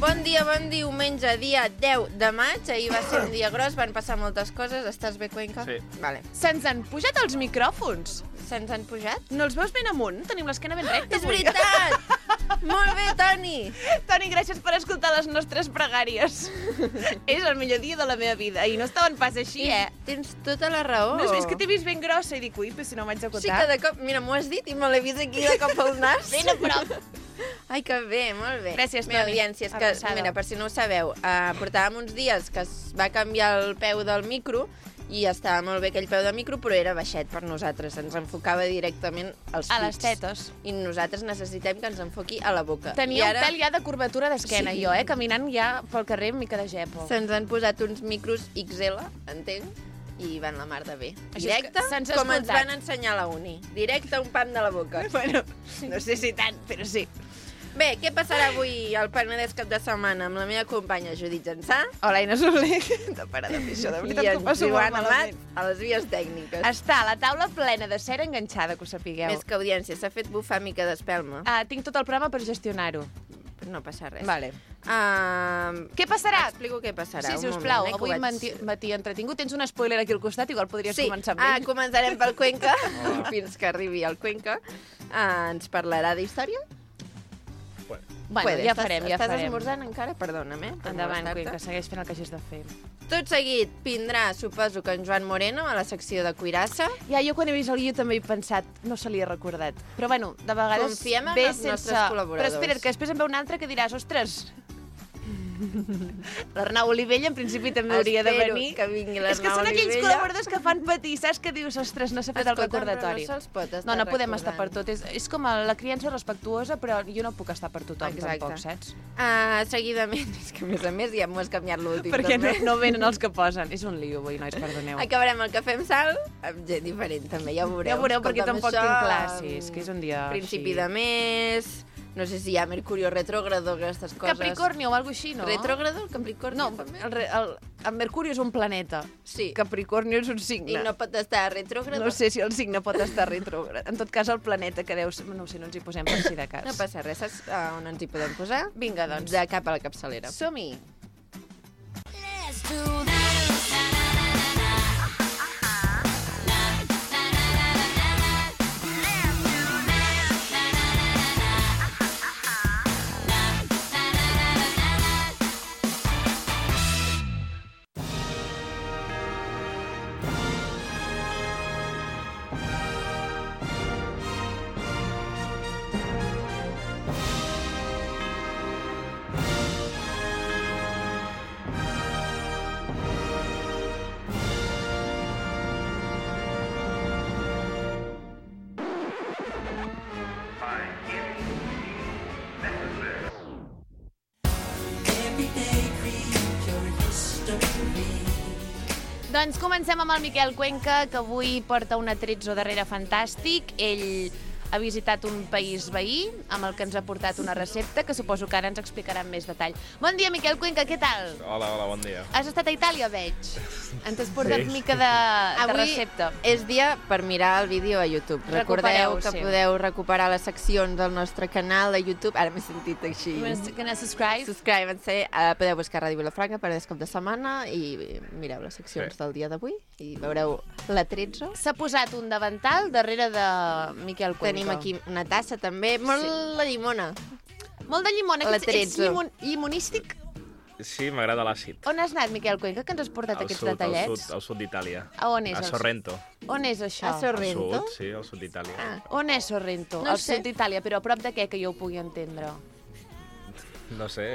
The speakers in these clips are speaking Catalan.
Bon diumenge, dia 10 de maig. Ahir va ser un dia gros, van passar moltes coses. Estàs bé, Cuenca? Sí. Vale. Se'ns han pujat els micròfons. Se'ns han pujat? No els veus ben amunt? Tenim l'esquena ben recta. És veritat! Molt bé, Toni! Toni, gràcies per escoltar les nostres pregàries. És el millor dia de la meva vida. I no estaven pas així, Tens tota la raó. No has vist que t'he vist ben grossa i dic, ui, però si no m'haig d'acotar. Sí que de cop, mira, m'ho has dit i me l'he vist aquí de cop al nas. Ben a prop. Ai, que bé, molt bé. Gràcies, Meva Toni. audiència, és que, mira, per si no ho sabeu, portàvem uns dies que es va canviar el peu del micro i estava molt bé aquell peu de micro, però era baixet per nosaltres. Ens enfocava directament als A les pits. tetes. I nosaltres necessitem que ens enfoqui a la boca. Tenia un pèl ja de curvatura d'esquena, Sí. jo, caminant ja pel carrer amb mica de gepo. Se'ns han posat uns micros XL, entenc, i van la mar de bé. Això és Directe, que se'ns ha com ens escoltat. van ensenyar a la uni. Directe a un pam de la boca. Bueno, no sé si tant, però sí. Bé, què passarà avui al Penedès cap de setmana amb la meva companya Judit Jansà Hola, Ina Soler. No para de fer això, de i veritat que ho en passo molt Joan Amat malament. a les vies tècniques. Està a la taula plena de cera enganxada, que ho sapigueu. Més que audiència, s'ha fet bufar mica d'espelma. Tinc tot el programa per gestionar-ho. Però no passa res. Vale. Uh, Què passarà? Explico què passarà. Sí, un sisplau, moment, avui que ho vaig... matí entretingut. Tens un spoiler aquí al costat, igual podries començar amb ell. Començarem pel Cuenca, fins que arribi al Cuenca. Ens parlarà d'història? Bueno, ja farem. Estàs esmorzant encara? Perdona'm, Endavant, Cuenca, segueix fent el que hagis de fer. Tot seguit vindrà, suposo que en Joan Moreno, a la secció de Cuirassa. Ja, jo quan he vist el guió també he pensat, no se li ha recordat. Però bueno, de vegades Confiem en ve els nostres sense... col·laboradors. Però espera't, que després en ve un altre que diràs, ostres, l'Arnau Olivella en principi també hauria de venir. Espero que vingui És que l'Arnau són aquells Olivella. col·laboradors que fan patir, saps? Que dius, ostres, no s'ha fet el recordatori. Però no se'ls pot estar No podem estar per recordant. tot. És com la criança respectuosa, però jo no puc estar per tothom, Exacte. tampoc, saps? Seguidament, és que a més ja m'ho has canviat l'últim. Perquè també. no venen els que posen. És un lío, avui, nois, perdoneu. Acabarem el Cafè amb Sal amb gent diferent, també, ja ho veureu. Ja ho veureu, perquè Escolta'm, tampoc això, tinc clar, sí, és que és un dia Principi així. de mes, no sé si hi ha Mercurio retrógrado, aquestes coses. Capricornio o alguna així, no? Retrógrado, el Capricornio, No, també? el Mercuri és un planeta. Sí. Capricornio és un signe. I no pot estar retrógrado. No sé si el signe pot estar retrògrad. En tot cas, el planeta que deus... No ho sé, no ens hi posem per si de cas. No passa res, saps on ens hi podem posar? Vinga, doncs. De cap a la capçalera. Som-hi. Let's do that. Doncs comencem amb el Miquel Cuenca, que avui porta un atrezzo darrere fantàstic. Ell ha visitat un país veí, amb el que ens ha portat una recepta, que suposo que ara ens explicarà amb més detall. Bon dia, Miquel Cuenca, què tal? Hola, bon dia. Has estat a Itàlia, veig. Ens has portat mica de recepta. És dia per mirar el vídeo a YouTube. Recordeu que podeu recuperar les seccions del nostre canal de YouTube. Ara m'he sentit així. Que subscribe. Subscribe-se. Podeu buscar Ràdio Vilafranca per cap de setmana i mireu les seccions del dia d'avui i veureu l'atrezzo. S'ha posat un davantal darrere de Miquel Cuenca. Tenim aquí una tassa també, molt la llimona. Molt de llimona. Ets llimonístic? Sí, m'agrada l'àcid. On has anat, Miquel Cuenca, que ens has portat aquests detallets? Al sud d'Itàlia. A on és? A Sorrento. On és això? A Sorrento? Al sud, sí, al sud d'Itàlia. On és Sorrento? No Al sé. sud d'Itàlia, però a prop de què, que jo ho pugui entendre? No sé.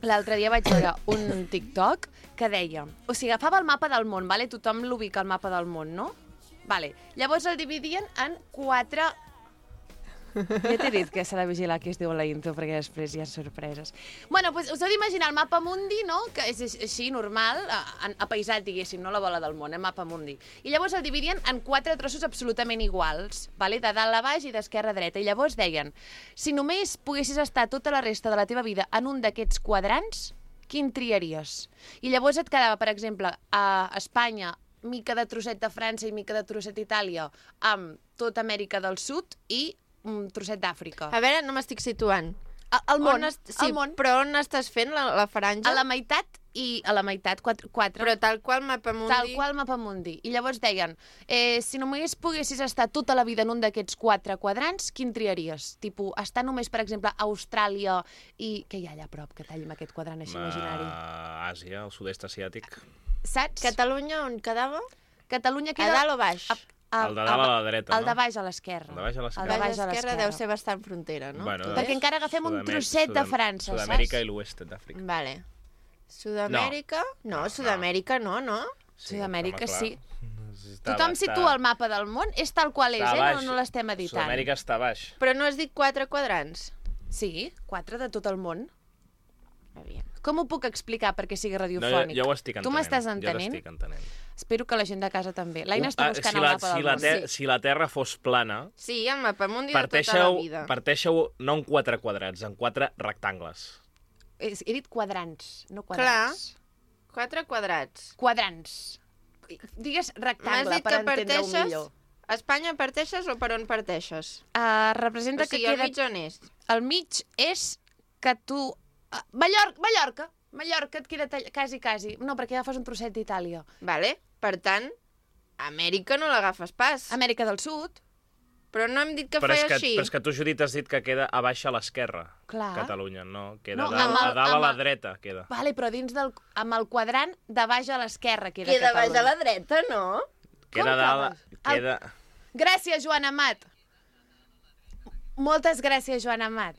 L'altre dia vaig veure un TikTok que deia... O sigui, agafava el mapa del món, vale? Tothom l'ubica al mapa del món, no? Vale. Llavors el dividien en 4... Ja t'he dit que s'ha de vigilar qui es diu la intro, perquè després hi ha sorpreses. Bueno, doncs us heu d'imaginar el mapa mundi, no?, que és així, normal, apaisat, diguéssim, no la bola del món, mapa mundi. I llavors el dividien en 4 trossos absolutament iguals, vale? De dalt a baix i d'esquerra a dreta. I llavors deien, si només poguessis estar tota la resta de la teva vida en un d'aquests quadrants, quin triaries? I llavors et quedava, per exemple, a Espanya, mica de trosset de França i mica de trosset d'Itàlia, amb tota Amèrica del Sud i un trosset d'Àfrica. A veure, no m'estic situant. Al món, Sí, al món. però on estàs fent la franja? A la meitat i a la meitat, 4. Però tal qual Mapamundi... Tal qual Mapamundi. I llavors deien, si només poguessis estar tota la vida en un d'aquests 4 quadrants, quin triaries? Tipo, estar només, per exemple, a Austràlia i... Què hi ha allà a prop que talli amb aquest quadrant així imaginari? Àsia, el sud-est asiàtic. Saps? Catalunya on quedava? Catalunya A queda... dalt o baix? El de dalt a la dreta, El de no? baix a l'esquerra. El de baix a l'esquerra. El de Baix baix a a l'esquerra l'esquerra. deu ser bastant frontera, no? Bueno, Tot Perquè és? encara agafem un trosset de França, saps? Sud-amèrica i l'oest d'Àfrica. Vale. Sud-amèrica? No, Sud-amèrica no, no? Sud-amèrica, home, sí. clar. Tothom situa el mapa del món, és tal qual és, Està no, baix. no l'estem editant. Sud-amèrica està baix. Però no has dit 4 quadrants? Sí, 4 de tot el món. Aviam. Com ho puc explicar perquè sigui No, radiofònic? jo ho estic entenent. Tu m'estàs Jo entenent? t'estic entenent. Espero que la gent de casa també. L'Aina està buscant si el la, mapa si del la, món. ter si la Terra fos plana, Sí, el Mapamundi de tota la vida. parteixeu no en 4 quadrats, en 4 rectangles. He dit quadrants, no quadrats. 4 quadrats. Quadrants. Digues M'has rectangle dit per que entendre-ho parteixes? millor. A Espanya parteixes o per on parteixes? Representa O sigui, que al queda... mig on és? El mig és que tu... Mallorca et queda quasi. No, perquè agafes un trosset d'Itàlia. Vale? Per tant, Amèrica no l'agafes pas. Amèrica del Sud, Però no hem dit que Però és feia que, així. però és que tu, Judit, has dit que queda a baix a l'esquerra, Clar. Catalunya, no? Queda No, a dalt, amb a, dalt a la el- dreta, queda. vale, però dins amb el quadrant de baix a l'esquerra queda Queda baix Catalunya. a la dreta, no? Queda a dalt, El- queda... Gràcies, Joan Amat. Moltes gràcies, Joan Amat.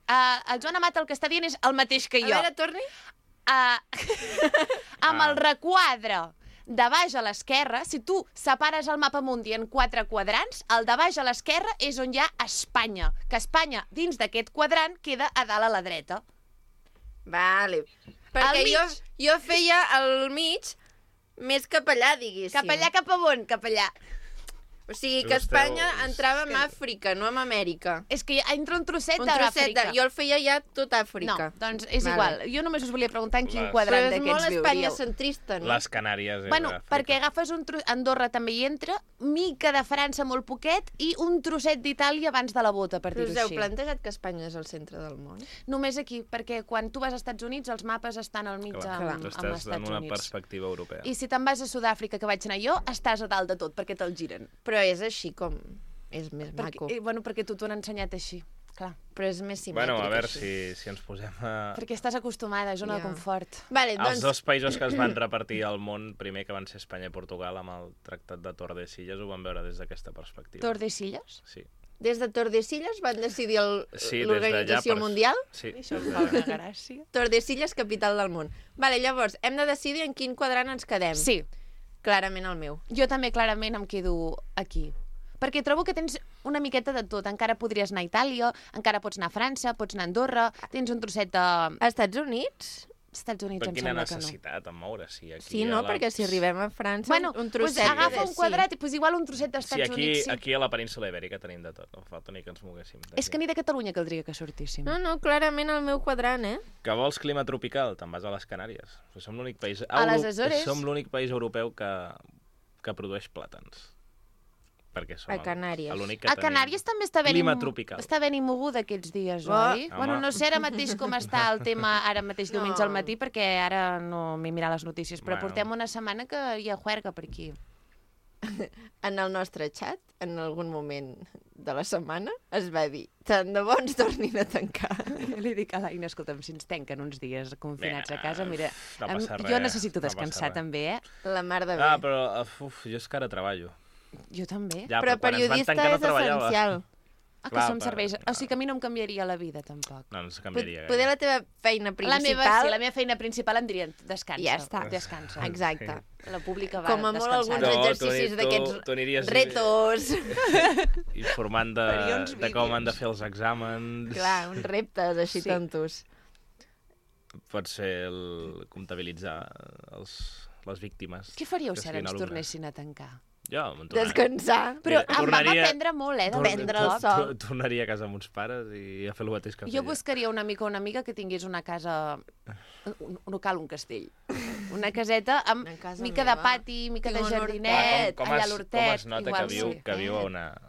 El Joan Amat el que està dient és el mateix que A jo. veure, torni. Amb el requadre de baix a l'esquerra, si tu separes el mapa mundi en 4 quadrants, el de baix a l'esquerra és on hi ha Espanya, que Espanya, dins d'aquest quadrant, queda a dalt a la dreta. Vale. Perquè Al mig. jo feia el mig més cap allà, diguéssim. Cap allà, cap a on? Cap allà. O sigui, Tu que esteu- Espanya entrava en Àfrica, no en Amèrica. És que entra un trosset Un trosset d'Àfrica. Jo el feia ja tot No, Àfrica. doncs és Vale. igual. Jo només us volia preguntar en quin Les- quadrant Però és molt d'aquests Espanya viuríeu. centrista, no? Les Canàries és Bueno, Àfrica. perquè agafes Andorra també hi entra, mica de França molt poquet i un trosset d'Itàlia abans de la bota, per Però dir-ho us heu així. plantejat que Espanya és el centre del món? Només aquí, perquè quan tu vas als Estats Units els mapes estan al mig Clar, amb tu els estàs Estats en una Units. perspectiva europea. I si te'n vas a Sud-àfrica, que vaig anar jo, estàs a dalt de tot, perquè te'l giren. Però és així com... És més maco. Bueno, perquè tu t'ho han ensenyat així, clar. Però és més simètric, Bueno, a veure així. si ens posem a... Perquè estàs acostumada, zona de Ja. confort. Vale, Els doncs... dos països que es van repartir al món, primer que van ser Espanya i Portugal, amb el Tractat de Tordesillas, ho van veure des d'aquesta perspectiva. Tordesillas? Sí. Des de Tordesillas van decidir Sí, des l'Organització d'allà per- Mundial? Sí, Això des em fa una d'allà. gràcia. Tordesillas, capital del món. Vale, llavors, hem de decidir en quin quadrant ens quedem. Sí, Clarament el meu. jo també clarament em quedo aquí. Perquè trobo que tens una miqueta de tot. Encara podries anar a Itàlia, encara pots anar a França, pots anar a Andorra, tens un trosset de... A Estats Units? Estats Units Per em quina sembla que no. necessitat en moure? Sí, aquí Sí, no? a la... Perquè si arribem a França, Bueno, un pues trosset... agafa un sí. quadrat i pues igual un trosset Sí, d'Estats Units. Sí. aquí a la península Ibèrica tenim de tot. No fa falta ni que ens moguéssim. d'aquí. És que ni de Catalunya caldria que sortíssim. No, clarament el meu quadrant, eh? Que vols clima tropical? Te'n vas a les Canàries. Som l'únic país... A les Açores. Som l'únic país europeu que produeix plàtans. Perquè som A Canàries. l'únic que A Canàries també està ben clima tropical. Està ben moguda aquests dies, Oh. oi? Home. Bueno, no sé ara mateix com està el tema ara mateix diumenge No. al matí, perquè ara no m'he mirat les notícies, però Bueno. portem una setmana que hi ha juerga per aquí. En el nostre xat, en algun moment de la setmana, es va dir tant de bo ens tornin a tancar. Jo li dic a l'Aina, escolta'm, si ens tanquen uns dies confinats a casa, mira, no passa jo res, necessito no passa descansar res. també, eh? La mar de bé. Ah, però jo és que ara treballo. Jo també. Ja, Però quan ens van periodista tancar no és treballava. essencial. Ah, que clar, som però- serveis... O sigui que a mi no em canviaria la vida, tampoc. No, no es canviaria Poder la teva feina La principal... meva feina principal em dirien, descansa. Ja està. Descansa. Exacte. La pública va Com a molt descansar. alguns No, exercicis tu d'aquests aniries- retos. informant Faria uns de com vídeos. han de fer els exàmens. Clar, uns reptes així Sí. tontos. Pot ser comptabilitzar les víctimes. Què faríeu que si ara siguin ens alumnes. tornessin a tancar? Jo me'n tornaria. Descansar. Però Mira, em vam tornaria- aprendre molt, de Prendre el cop. sol. Tornaria a casa amb uns pares i a fer el mateix que Jo feia. buscaria un amic o una amiga que tingués una casa... No cal un castell. Una caseta amb Una casa mica de meva. pati, mica de Tinc un jardinet, Com allà a es l'hortet. nota igual que viu, sí. que viu a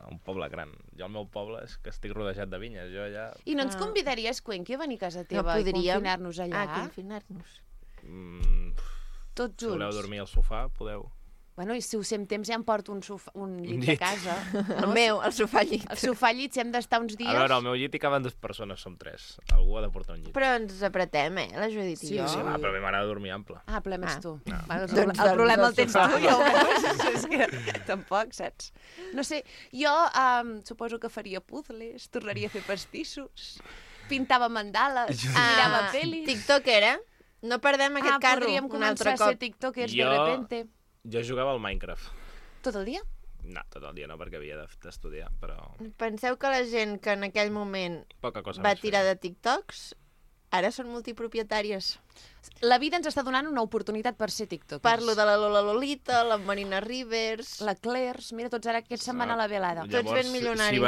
un poble gran? Jo al meu poble és que estic rodejat de vinyes. Jo allà... I no ens convidaries, Cuenqui, a venir a casa teva i podríem. confinar-nos allà? Confinar-nos. Tots Si junts? voleu dormir al sofà, podeu. Bueno, i si us hem temps ja em porto un llit de llit. casa. El meu, el sofà llit. El sofà llit, si hem d'estar uns dies... A veure, al meu llit hi caben 2 persones, som 3. Algú ha de portar un llit. Però ens apretem, la Judit i jo. Sí, va, però a mi m'agrada dormir ample. Ah, el problema ets tu. No. Bueno, Doncs el problema el tens sofà. tu, ja ho veus. És que tampoc, saps? No sé, jo suposo que faria puzzles, tornaria a fer pastissos, pintava mandales, mirava pel·lis... TikToker, No perdem aquest carro podríem un altre començar a ser cop. tiktokers Jo- de repente. Jo jugava al Minecraft. Tot el dia? No, tot el dia no, perquè havia d'estudiar, però Penseu que la gent que en aquell moment poca cosa va més tirar feia. de TikToks, ara són multipropietàries. La vida ens està donant una oportunitat per ser tiktokers. Parlo de la Lola Lolita, la Marina Rivers... La Clairs, mira, tots ara aquests se'n van a la velada. Tots ben milionaris.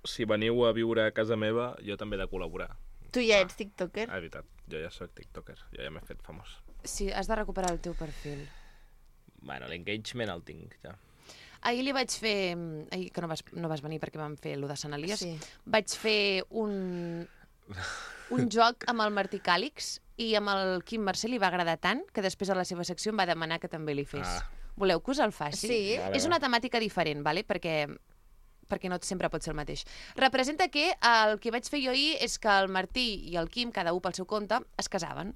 Si veniu a viure a casa meva, jo també he de col·laborar. Tu ja ets tiktoker? Ah, és veritat, jo ja sóc tiktoker, jo ja m'he fet famós. Sí, has de recuperar el teu perfil. Bueno, l'engagement el tinc, ja. Ahir li vaig fer... Ahir que no vas venir perquè vam fer lo de Sant Elias. Sí. Vaig fer un joc amb el Martí Càlix i amb el Quim Mercè li va agradar tant que després a la seva secció em va demanar que també li fes. Ah. Voleu que us el faci? Sí. Vale, És una temàtica diferent, vale? perquè no sempre pot ser el mateix. Representa que el que vaig fer jo ahir és que el Martí i el Quim, cada un pel seu compte, es casaven.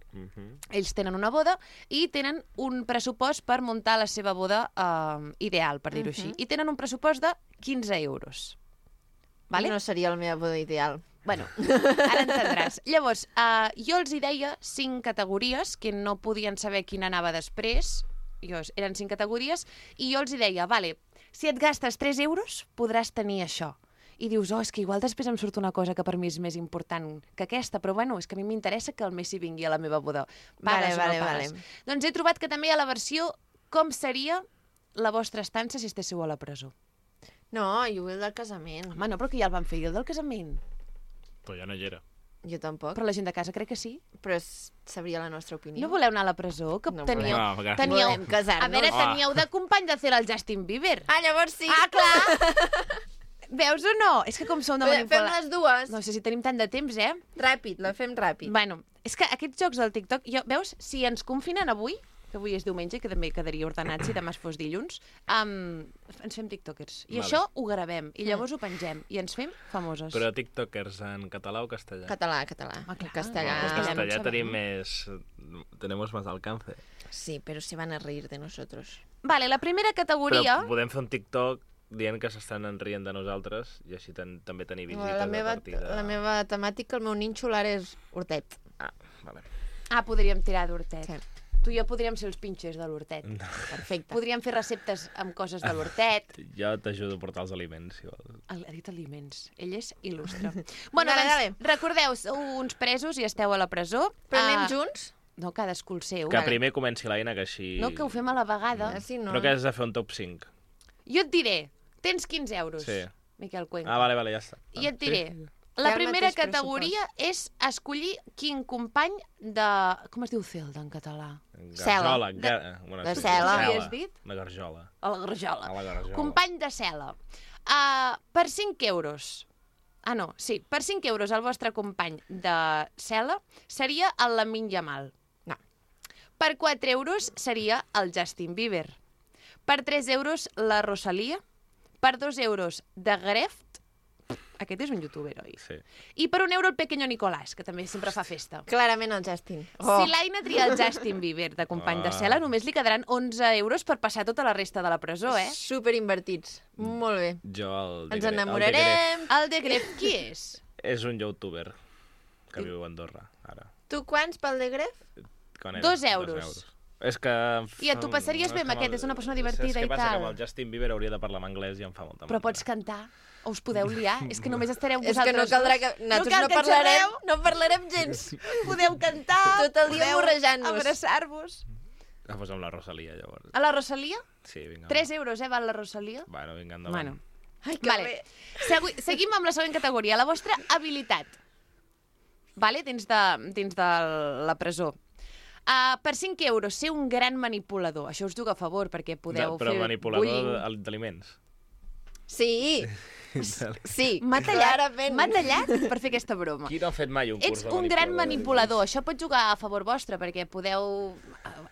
Ells tenen una boda i tenen un pressupost per muntar la seva boda ideal, per dir-ho així. I tenen un pressupost de 15 euros. Vale? No seria la meva boda ideal. Bueno, ara entendràs. Llavors, jo els hi deia 5 categories que no podien saber quina anava després. Eren 5 categories i jo els hi deia, vale, si et gastes 3 euros podràs tenir això. I dius, és que igual després em surt una cosa que per mi és més important que aquesta, però bueno, és que a mi m'interessa que el Messi vingui a la meva boda. Pagues o no pagues? Doncs he trobat que també hi ha la versió com seria la vostra estança si estéssiu a la presó. No, jo vull el del casament. Home, no, però que ja el van fer, i el del casament? Però ja no hi era. Jo tampoc, Però la gent de casa crec que sí. però sabria la nostra opinió. No voleu anar a la presó? Que No teníeu... volem. No, gràcies. teníeu... Volem casar-nos. A veure, teníeu de company de fer el Justin Bieber. Ah, llavors sí. Ah, clar! Veus o no? És que com som de Fem manipular... les dues. No sé si tenim tant de temps, Ràpid, la fem ràpid. Bueno, és que aquests jocs del TikTok... Veus, si ens confinen avui, que avui és diumenge, que també quedaria ordenat si demà fos dilluns, ens fem tiktokers. I Vale. això ho gravem, i llavors ho pengem, i ens fem famoses. Però tiktokers en català o castellà? Català. Ah, clar. Castellà. En no castellà sabem. tenim més... Tenemos más alcance. Sí, però se van a reír de nosotros. Vale, la primera categoria... Però podem fer un TikTok dient que s'estan rient de nosaltres i així també tenir visites La meva, a partir de... la meva temàtica, el meu ninxo ara és hortet. Ah, vale. podríem tirar d'hortet. Sí. Tu i jo podríem ser els pinxers de l'hortet. Perfecte. Podríem fer receptes amb coses de l'hortet. Jo t'ajudo a portar els aliments, si vols. Ha dit aliments. Ell és il·lustre. Bueno, Dale, doncs, recordeu, sou uns presos i esteu a la presó. Però anem junts? No, cadascú el seu. Que primer comenci l'Aina, que així... No, que ho fem a la vegada. Sí, no. Però que has de fer un top 5. Jo et diré, tens 15 euros, Sí. Miquel Cuenca. Ah, vale, ja està. I et diré, Sí? la Hi ha el primera mateix categoria és escollir quin company de... Com es diu Zelda en català? Garjola. Bueno, De sí, cel·la. Què havies dit? Una garjola. A la garjola. A la garjola. Company de cel·la. Per 5 euros... Ah, no, sí. Per 5 euros el vostre company de cel·la seria el Lamine Yamal. No. Per 4 euros seria el Justin Bieber. Per 3 euros la Rosalia. Per 2 euros de Greft. Aquest és un youtuber, oi? Sí. I per 1 euro el Pequeño Nicolás, que també sempre fa festa. Clarament el Justin. Si l'Aina tria el Justin Bieber de company de cel·la, només li quedaran 11 euros per passar tota la resta de la presó, Super invertits. Molt bé. Jo el Ens enamorarem. El de Gref, qui és? És un youtuber que viu a Andorra, ara. Tu quants pel de Gref? Quan 2 euros. És que... I tu passaries bé amb aquest, és una persona divertida i tal. És que passa que tal. amb el Justin Bieber hauria de parlar en anglès i em fa molta Però pots cantar, o us podeu liar. És que només estareu És que vosaltres no caldrà dos. que... Nosaltres cal no que parlarem, xerreu. no parlarem gens. Podeu cantar, Tot el dia podeu morrejant-nos. abraçar-vos. Ah, doncs amb la Rosalia, llavors. A la Rosalia? Sí, vinga. 3 euros, val la Rosalia? Bueno, vinga, endavant. Bueno. Ai, que Vale. bé. Seguim amb la següent categoria, la vostra habilitat. Vale? Dins de la presó. Per 5 euros, ser un gran manipulador. Això us diu a favor, perquè podeu Però fer manipulador bullying. d'aliments. Sí, sí, M'ha clarament. tallat per fer aquesta broma. Qui no ha fet mai un curs Ets de un gran manipulador? manipulador. Això pot jugar a favor vostre, perquè podeu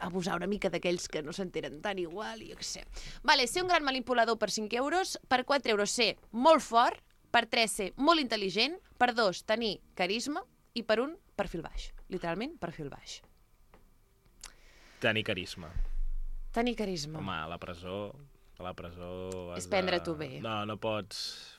abusar una mica d'aquells que no s'entenen tan igual, i jo què sé. Vale, ser un gran manipulador per 5 euros, per 4 euros ser molt fort, per 3 ser molt intel·ligent, per 2 tenir carisma i per 1 perfil baix. Literalment, perfil baix. Tenir carisma. Tenir carisma. Home, a la presó... És prendre-t'ho bé. No, no pots...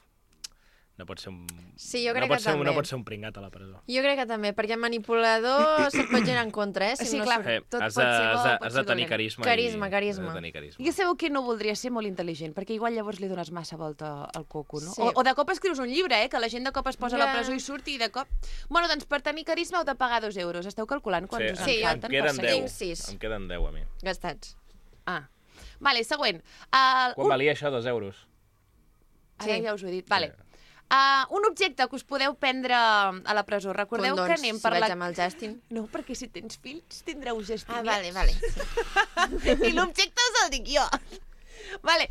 No pots ser un... Sí, jo crec que també. No pots ser un pringat a la presó. Jo crec que també, perquè manipulador se't pot girar en contra, eh? Si Sí, no clar. surt- Tot Has pot ser bo, pot has ser de tenir dolent. carisma. Carisma, Has carisma. de tenir carisma. Jo sabeu que no voldria ser molt intel·ligent, perquè igual llavors li dones massa volta al coco, no? Sí. O de cop escrius un llibre, que la gent de cop es posa a la Ja. presó i surt i de cop... Bueno, doncs per tenir carisma heu de pagar 2 euros. Esteu calculant quants us en Sí, falten? em queden per 10. seguir? Tinc 6. Em queden 10 a mi. Gastats. Ah. Vale, següent. Quan valia això, 2 euros? Ara Sí. ja us ho he dit. Vale. Un objecte que us podeu prendre a la presó. Recordeu que Condons, anem si per vaig la... amb el Justin. No, perquè si tens fills tindreu gestionats. vale. I l'objecte us el dic jo. Vale,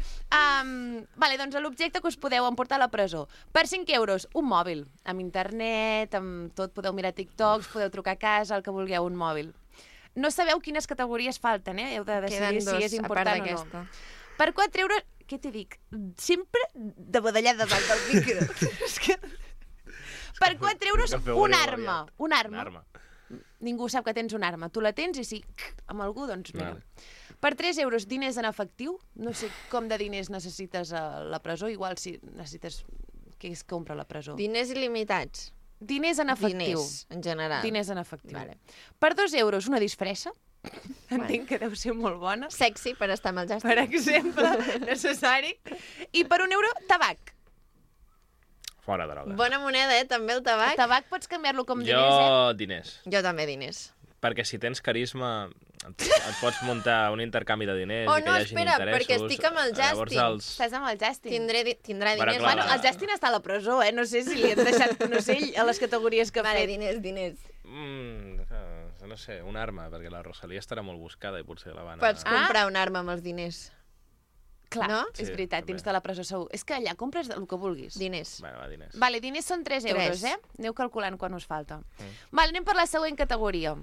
vale, doncs l'objecte que us podeu emportar a la presó. Per 5 euros, un mòbil. Amb internet, amb tot, podeu mirar TikToks, podeu trucar a casa, el que vulgueu, un mòbil. No sabeu quines categories falten, eh? Heu de decidir Queden dos, si és a part important o d'aquesta. no. Per 4 euros... Què t'hi dic? Sempre de badallar davant del micro. És que... Per 4 euros, Que feu una greu, arma. aviat. Una Una arma. arma. Ningú sap que tens una arma. Tu la tens i si amb algú, doncs mira. Vale. Per 3 euros, diners en efectiu. No sé com de diners necessites a la presó. Igual si necessites... Què es compra a la presó? Diners il·limitats. Diners en efectiu. Diners, en general. Diners en efectiu. Vale. Per 2 euros, una disfressa. Entenc que deu ser molt bona. Sexy per estar amb el Justin. Per exemple, necessari. I per 1 euro, tabac. Fora droga. Bona moneda, també, el tabac. El tabac pots canviar-lo com diners, Jo, diners. Jo també, diners. Perquè si tens carisma, et pots muntar un intercanvi de diners Oh, i que no, hi hagin espera, interessos. perquè estic amb el Llavors Justin. Estàs amb el Justin. Tindrà Bueno, diners. clar, Bueno, el Justin està a la presó, eh? No sé si li han deixat, no sé, ell, a les categories que ha Vale, fet. diners. No sé, una arma, perquè la Rosalia estarà molt buscada i potser la van Pots comprar una arma amb els diners. Clar, No? és Sí, veritat, també. dins de la presó segur. És que allà compres el que vulguis. Diners. Bueno, va, diners. Vale, diners són 3 euros, Tres. Aneu calculant quan us falta. Vale, anem per la següent categoria.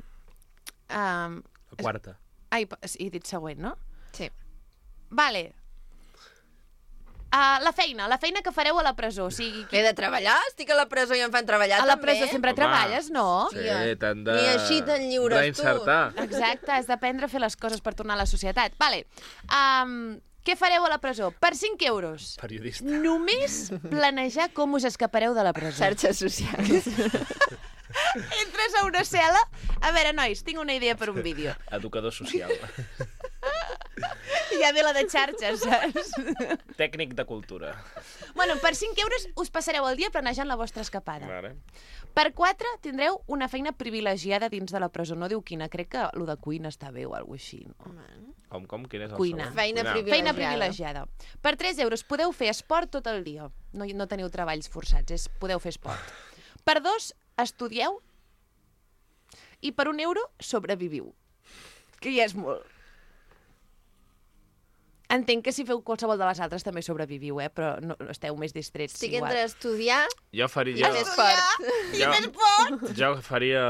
La quarta. Ai, he dit següent, no? Sí. Vale. La feina que fareu a la presó. O sigui, He de treballar? Estic a la presó i em fan treballar, a la també? presó sempre Home. treballes, no? Sí, Tia, t'han de... ni així te'n lliures, tu. reinsertar. Exacte, has d'aprendre a fer les coses per tornar a la societat. Vale. Què fareu a la presó? Per 5 euros. Periodista. Només planejar com us escapareu de la presó. Xarxes socials. Entres a una cel·la... A veure, nois, tinc una idea per un vídeo. Educador social. Ja ve la de xarxes, saps? Tècnic de cultura. Bueno, per 5 euros us passareu el dia planejant la vostra escapada. Vale. Per 4 tindreu una feina privilegiada dins de la presó. No diu quina, crec que lo de cuina està bé o alguna així. No? Com? Quin és el Cuina. segon? Feina Cuinar. privilegiada. Feina privilegiada. Per 3 euros podeu fer esport tot el dia. No teniu treballs forçats, podeu fer esport. Per 2, estudieu. I per 1 euro, sobreviviu. Que ja és molt. Entenc que si feu qualsevol de les altres també sobreviviu, però no esteu més distrets. Estic igual. entre estudiar Jo i faria... fer esport. Jo faria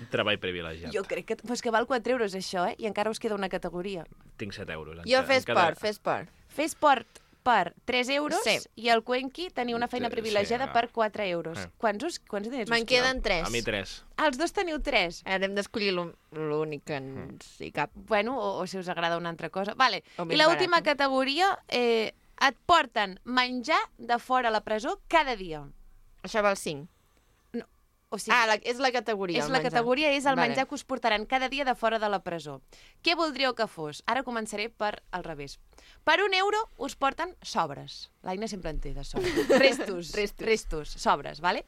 un treball privilegiat. Jo crec que... Però és que val 4 euros, això, I encara us queda una categoria. Tinc 7 euros. Jo fer esport, fer esport. Fer esport per 3 euros Sí. i al Cuenqui teniu una feina Sí, privilegiada sí, per 4 euros. Eh. Quants diners Me'n us queden 3. A mi 3. Els dos teniu 3. Ara hem d'escollir l'únic que ens hi cap. Bueno, o si us agrada una altra cosa. Vale. O I més l'última barata. categoria, et porten menjar de fora a la presó cada dia. Això val 5. O sigui, És la categoria, és el la menjar. categoria, és el Vale. menjar que us portaran cada dia de fora de la presó. Què voldríeu que fos? Ara començaré per al revés. Per 1 euro us porten sobres. L'Aina sempre en té de sobres. Restos, sobres, vale?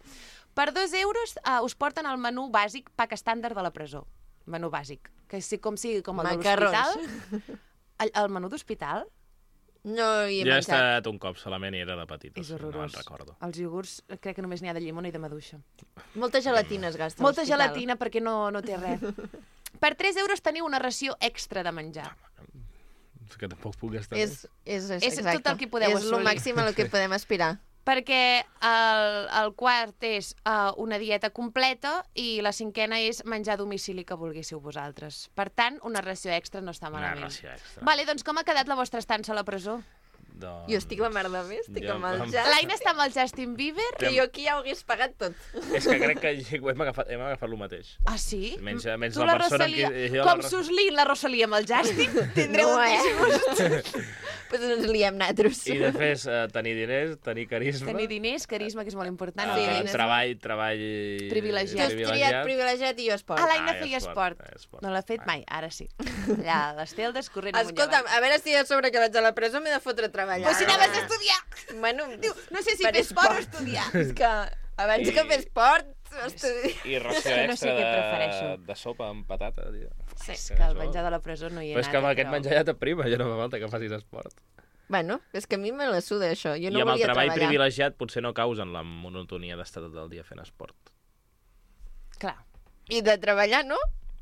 Per 2 euros us porten el menú bàsic, pack estàndard de la presó. Menú bàsic. Que sigui com el de Macarrons. l'hospital. El menú d'hospital No hi he Jo he menjat. estat un cop solament i era de petit. és o sigui, horrorós. No me'n recordo. Els iogurts crec que només n'hi ha de llimona i de maduixa. Molta gelatina es gasta a Molta l'hospital. gelatina perquè no té res. Per 3 euros teniu una ració extra de menjar. És que tampoc puc gastar És És exacte. tot el que podeu És el assolir. màxim a el que podem aspirar. Perquè el quart és una dieta completa i la cinquena és menjar a domicili que volguéssiu vosaltres. Per tant, una ració extra no està Una malament. ració extra. Vale, doncs com ha quedat la vostra estança a la presó? Doncs... Jo estic la merda més, estic Jo amb el em- jazz. L'Aina està amb el Justin Bieber? Que jo aquí ja ho hagués pagat tot. És que crec que hem agafat el mateix. Ah, sí? Menys Tu la persona amb Rosalia, qui... com Suslin, la Rosalia amb el Justin, tindreu un gust. Pues ens liem natros. I després tenir diners, tenir carisma... Tenir diners, carisma, que és molt important. Sí, el diners. treball... Privilegiat. Tu has triat privilegiat i jo esport. Ah, l'Aina Ah, feia esport. No l'ha fet mai, ara sí. Allà, l'Esteldes corrent amunt i Escolta'm, avall. a veure si a sobre que vaig a la presó m'he de fotre a treballar. Però si anaves a estudiar! Bueno, Diu, no sé si per fer esport o estudiar. És que abans que fer esport, estudiar. I ració que no sé extra què prefereixo. de sopa amb patata, tio. Sí, és que que el això- menjar de la presó no hi he Però és que amb anat. aquest menjar ja t'aprima, ja no fa falta que facis esport. Bueno, és que a mi me la suda, això. Jo no I amb el volia treball treballar. privilegiat potser no causen la monotonia d'estar tot el dia fent esport. Clar, I de treballar, no?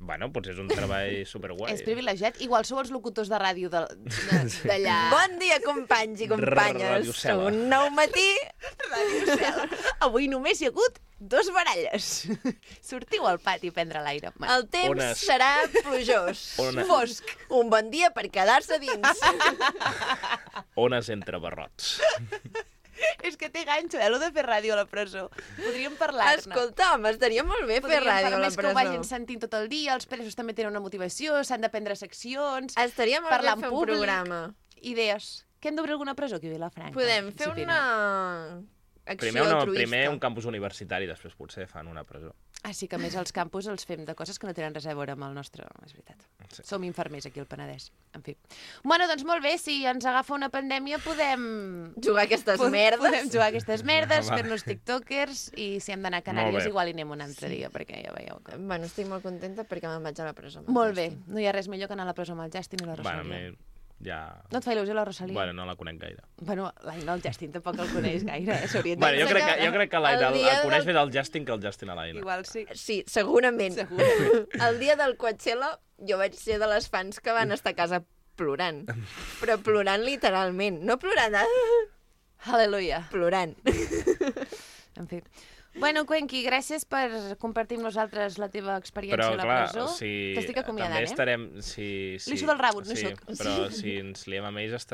Bueno, potser és un treball superguai. és privilegiat. Igual sou els locutors de ràdio d'allà. Bon dia, companys i companyes. Radio Cela. Un nou matí. Avui només hi ha hagut 2 baralles. Sortiu al pati a prendre l'aire. El temps Ones. serà plujós. Fosc. Un bon dia per quedar-se dins. Ones entre barrots. És que té ganxo, lo de fer ràdio a la presó. Podríem parlar-ne. Escolta, home, estaria molt bé fer Podríem ràdio parlar a la més que ho vagin presó. sentint tot el dia, els presos també tenen una motivació, s'han de prendre seccions, Estaria molt bé parlar en fer un públic. programa. Idees. Que hem d'obrir alguna presó aquí a Vilafranca? Podem fer Disciplina. una acció Primer altruista. un campus universitari, després potser fan una presó. Ah, sí, que a més els campus els fem de coses que no tenen res a veure amb el nostre... És veritat. Sí. Som infermers aquí al Penedès. En fi. Bueno, doncs molt bé, si ens agafa una pandèmia podem... Jugar a aquestes merdes. Podem jugar a aquestes merdes, Va. fer-nos tiktokers i si hem d'anar a Molt Canàries bé. igual hi anem un altre dia, perquè ja veieu que... Bueno, estic molt contenta perquè me'n vaig a la presó. amb el Molt bé, Justin. no hi ha res millor que anar a la presó amb el Justin i la Bueno, Rosalia. ja... No et fa il·lusió la Rosalia? Bueno, no la conec gaire. Bueno, l'Aina, el Justin tampoc el coneix gaire, s'hauria de... Bueno, jo crec que l'Aina el dia el coneix del- més el Justin que el Justin a l'Aina. Igual sí. Sí, segurament. El dia del Coachella jo vaig ser de les fans que van estar a casa plorant. Però plorant literalment. No plorant, Aleluia. plorant. En fi. Bueno, Cuenqui, gràcies per compartir amb nosaltres la teva experiència Però, a la clar, presó. T'estic acomiadant, també eh? estarem... Sí, Li suda el rabo, no sí, sóc. Però si ens liem amb ells els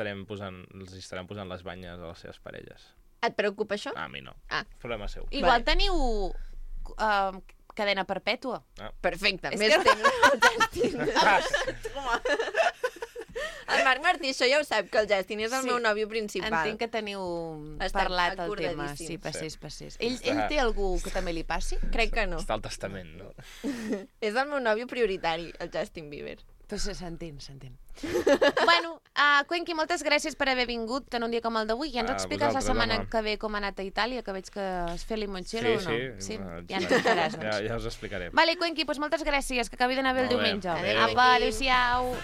estaran posant les banyes a les seves parelles. Et preocupa això? A mi no. Ah. Problema seu. Igual Vale. teniu cadena perpètua. Perfecte, És més que- temps el Justin. El Marc Martí, això ja ho sap, que el Justin és el Sí. meu nòvio principal. Entenc que teniu Estem parlat el tema. acordadíssims. Sí, passés, passés. Sí. Ell té algú que també li passi? Crec que no. Està al testament, no? És el meu nòvio prioritari, el Justin Bieber. Pues s'entén, s'entén. Bueno, Cuenqui, moltes gràcies per haver vingut en un dia com el d'avui. Ja ens A expliques la vosaltres, setmana home. que ve com ha anat a Itàlia, que veig que has fet limoncello o no? Sí. Ja ens explicaràs, doncs. Ja us explicaré. Vale, Cuenqui, doncs moltes gràcies, que acabi d'anar bé el Molt bé. diumenge. Adéu. Apa, adéu-siau.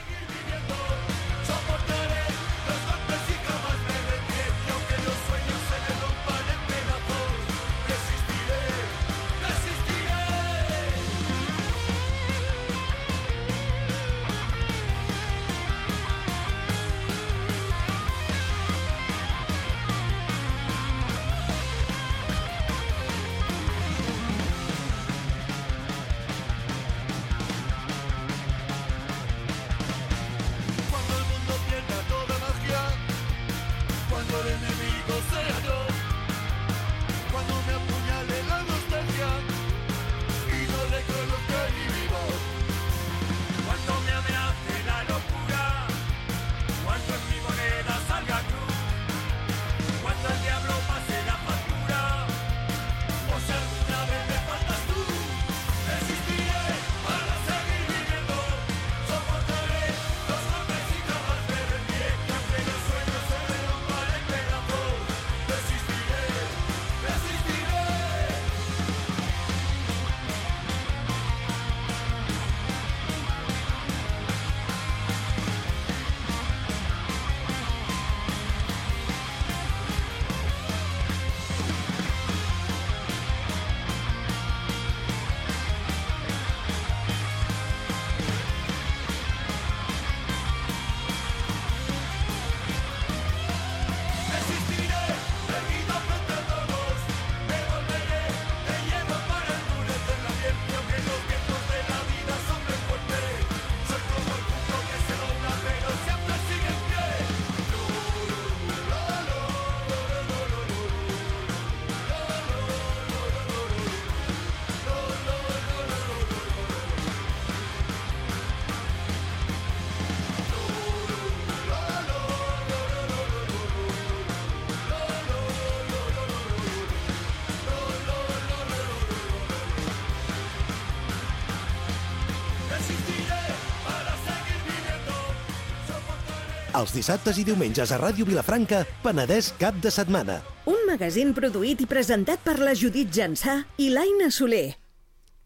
Els dissabtes i diumenges a Ràdio Vilafranca, Penedès cap de setmana. Un magazín produït i presentat per la Judit Jansà i l'Aina Soler.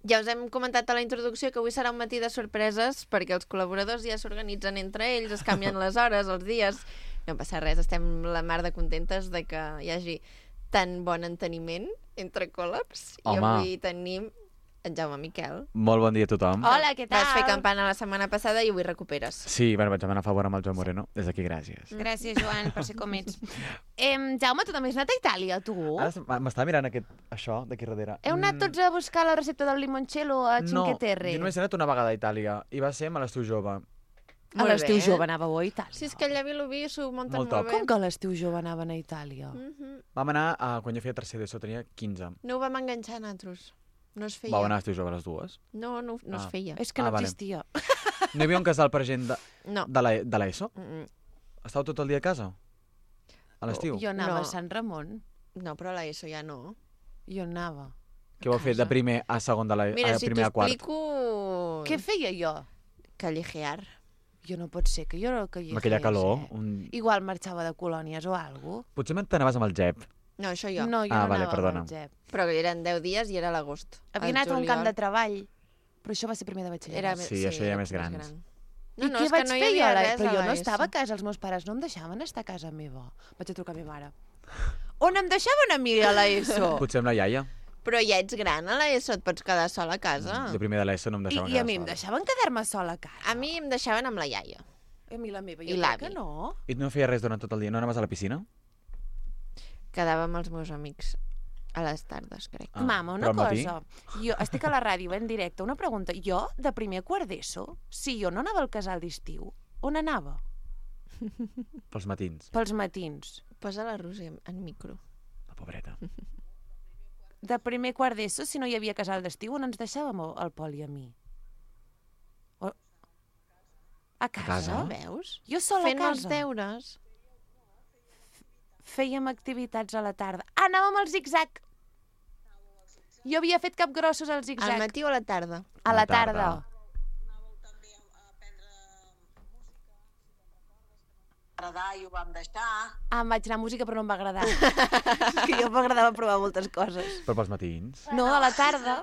Ja us hem comentat a la introducció que avui serà un matí de sorpreses perquè els col·laboradors ja s'organitzen entre ells, es canvien les hores, els dies. No passa res, estem la mar de contentes de que hi hagi tan bon enteniment entre col·labs. I Home. avui tenim en Jaume Miquel. Molt bon dia a tothom. Hola, què tal? Vas fer campana la setmana passada i avui recuperes. Sí, bueno, vaig anar a favor amb el Joan Moreno. Des d'aquí, gràcies. Gràcies, Joan, per ser com ets. Jaume, tu també has anat a Itàlia, tu? Ara m'estava mirant això d'aquí darrere. Heu anat tots a buscar la recepta del limoncello a Cinque Terre? No, jo només he anat una vegada a Itàlia i va ser a l'estiu jove. A l'estiu jove anàveu a Itàlia? Si és que allà a Vilobí s'ho munten Molt molt top. bé. Com que a l'estiu jove anaven a Itàlia? Vam anar quan jo feia tercer d'ESO, tenia 15. No ho vam enganxar nosaltres. No es feia. Vau anar a l'estiu jove a les dues. No es feia. És que no vale. existia. No hi havia un casal per gent No. de l'ESO? Mm-mm. Estàveu tot el dia a casa? A l'estiu? Jo anava No. a Sant Ramon. No, però a l'ESO ja no. Jo anava. Què vau fer de primer a segon de Mira, a si primer a quart? t'explico... Què feia jo? Callejear. Jo no pot ser que jo no que hi Amb aquella fes, calor. Igual marxava de colònies o alguna cosa. Potser t'anaves amb el Jep. No, això jo. No, jo Ah, no vale, anava perdona. amb el Jep. Però eren 10 dies i era a l'agost. Havia Al anat a un camp juliol de treball, però això va ser primer de batxillerat. Sí, això ja més grans. gran. I què és que vaig no hi fer jo? havia res Però a jo no l'ESO. estava a casa, els meus pares no em deixaven estar a casa meva. Vaig a trucar a ma mare. On em deixaven a mi a l'ESO? Potser amb la iaia. Però ja ets gran, a l'ESO et pots quedar sola a casa. De primer de l'ESO no em deixaven I a quedar mi em sola. deixaven quedar-me sola a casa. A mi em deixaven amb la iaia. A mi la meva, I jo crec l'avi. que no. I no feia res durant tot el dia? No anaves a la piscina? Quedava amb els meus amics a les tardes, crec. Ah, Mama, una però al matí? cosa. Jo estic a la ràdio en directe. Una pregunta. Jo, de primer a quart d'ESO, si jo no anava al casal d'estiu, on anava? Pels matins. Pels matins. Posa la Roser en micro. La pobreta. De primer a quart d'ESO, si no hi havia casal d'estiu, on ens deixàvem el Pol i a mi? A casa? casa? Veus? Jo sola Fent a els casa. deures. Fèiem activitats a la tarda. Ah, anàvem al zig-zag. Jo havia fet capgrossos al Al zig-zag. matí o a la tarda? A la tarda. agradar i ho vam deixar. Ah, em vaig anar a música però no em va agradar. És que jo m'agradava provar moltes coses. Però pels matins. No, a la tarda.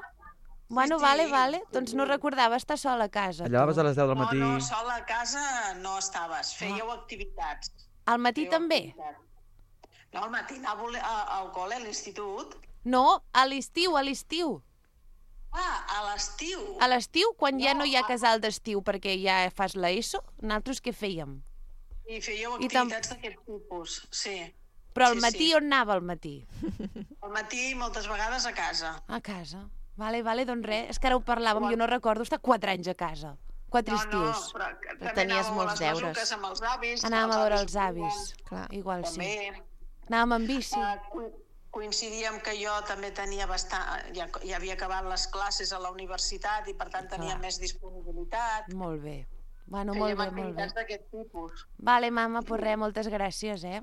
Bueno, Sí, vale, sí. vale. Doncs no recordava estar sola a casa. Allà vas a les 10 del matí. No, sola a casa no estaves, fèieu activitats. Al matí Fèieu també? activitats. No, al matí anàveu al col·le, a l'institut. No, a l'estiu, a l'estiu. Ah, a l'estiu. A l'estiu, quan ja no hi ha casal d'estiu perquè ja fas l'ESO, nosaltres què fèiem? I fèieu I tam- activitats d'aquest tipus, sí. Però al Sí, matí sí. on anava al matí? Al matí moltes vegades a casa. A casa. Vale, vale, doncs res. És que ara ho parlàvem, jo no recordo estar 4 anys a casa. 4 No, estius. però que també tenies anàveu molts a les deures. masuques amb els avis. Anàvem a veure els juguen. avis. Clar. Igual sí. També. Anàvem amb bici. Coincidíem que jo també tenia ja havia acabat les classes a la universitat i per tant tenia Clar. més disponibilitat. Molt bé. Bueno, Fèiem molt bé, molt bé. activitats d'aquest tipus. Vale, mama, pues res, moltes gràcies, eh?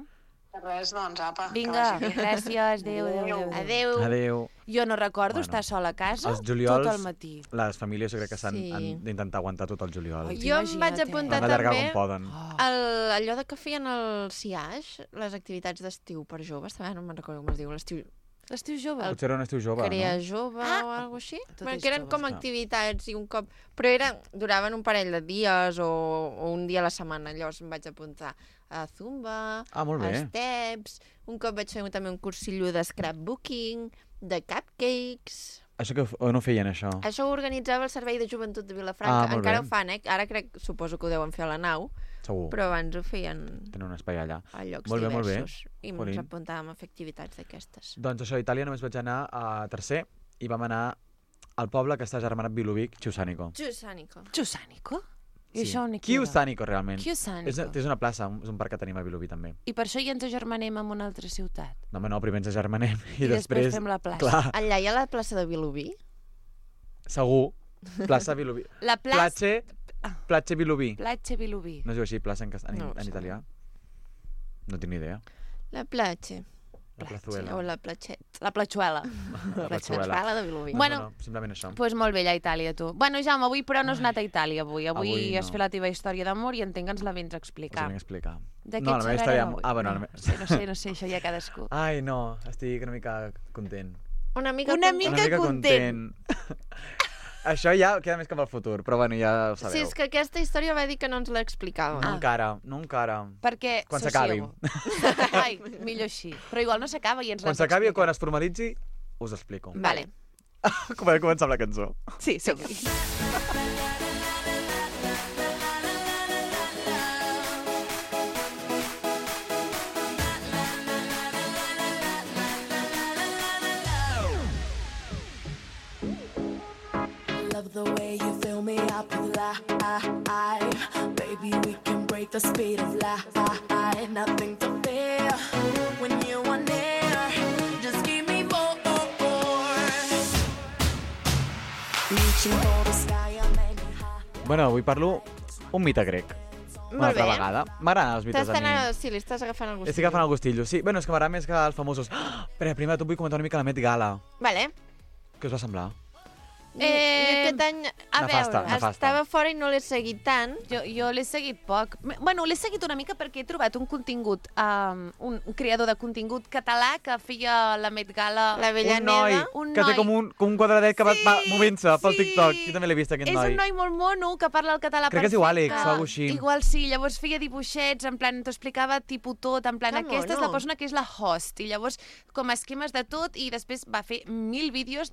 Res, doncs, apa. que Vinga, vagi bé. gràcies, adéu, adéu, adéu. Adéu. Adéu. Jo no recordo Bueno, estar sola a casa Els juliols, tot el matí. les famílies jo crec que Sí. han d'intentar aguantar tot el juliol. Oi, Jo em vaig Imagina't, apuntar Han d'allargar també com poden. Oh. allò de que feien el CIAix, les activitats d'estiu per joves, també no me'n recordo com es diu, l'estiu L'estiu jove. Potser era un estiu jove, Crea no? Jove Ah, o alguna així. tot Bueno, és que eren jove. com Ah. activitats i un cop... Però duraven un parell de dies o un dia a la setmana. Llavors em vaig apuntar a Zumba, Ah, molt a bé. Steps, un cop vaig fer també un cursillo de scrapbooking, de cupcakes... Això que on ho feien, això? Això ho organitzava el Servei de Joventut de Vilafranca. Ah, molt Encara bé. ho fan, eh? Ara suposo que ho deuen fer a la nau, Segur. però abans ho feien Tenen un espai allà. a llocs Molt bé, molt bé. diversos. I ens Jolín. apuntàvem a fer activitats d'aquestes. Doncs això, a Itàlia només vaig anar a tercer i vam anar al poble que està germanat Vilovic, Chiusanico. Giussànico. Chiusanico? I això on hi queda? Chiusanico, realment. Chiusanico. És una plaça, és un parc que tenim a Vilobí, també. I per això ja ens agermanem amb una altra ciutat. No, home, no, primer ens agermanem i, I després després... fem la plaça. Clar, Allà hi ha la plaça de Vilobí? segur. Plaça Vilobí. La plaça... Platge Vilobí. Platja Vilobí. No es diu així, plaça en No ho en sé. italià? No tinc ni idea. La platja. La plazuela. O la platxet. La platxuela. La Platxuela de Vilobí. Bueno, simplement això. Doncs molt bé, allà a Itàlia, tu. Bueno, Jaume, avui però no has anat a Itàlia, avui. Avui Avui has no. fet la teva història d'amor i entenc que ens la vens a Us explicar. ho vinc a explicar. De què No, la meva història... xerrarem avui? bueno, no, la no sé, això ja cadascú. Ai, no, estic una mica content. Una mica Una content. mica content. Això ja queda més cap al futur, però bueno, ja ho sabeu. Sí, és que aquesta història va dir que no ens l'explicava. No encara, no encara. Perquè... Quan s'acabi. sosiego. Ai, millor així. Però igual no s'acaba i ens Quan l'has s'acabi o d'explicar. quan es formalitzi, us explico. Vale. Podem començar amb la cançó. Sí, som-hi. Love the way you fill me up with life. Baby, we can break the speed of light. Nothing to fear when you are near. Just give me more. Reaching for the sky, I made me high. Bueno, avui parlo un mite grec. Una Molt altra bé. vegada. M'agraden els mites a mi. Sí, li estàs agafant el gust. Estic agafant el gustillo, sí. Bueno, és que m'agrada més que els famosos... Però primer de tot vull comentar una mica la Met Gala. Vale. Què us va semblar? Jo aquest any... A Nefasta, veure, nefasta. Estava fora i no l'he seguit tant. Jo l'he seguit poc. Bueno, l'he seguit una mica perquè he trobat un contingut, un creador de contingut català que feia la Met Gala. La Bella Un noi Neda. Un que té noi. com un quadradet que va movent-se pel sí. TikTok. Jo també l'he vist, aquest És noi. un noi molt mono que parla el català Crec que es perfecte. diu Àlex o alguna així. Igual sí, llavors feia dibuixets, en plan, t'ho explicava tipus tot, en plan, Que aquesta és mono. la persona que és la host, i llavors com esquemes de tot, i després va fer 1000 vídeos,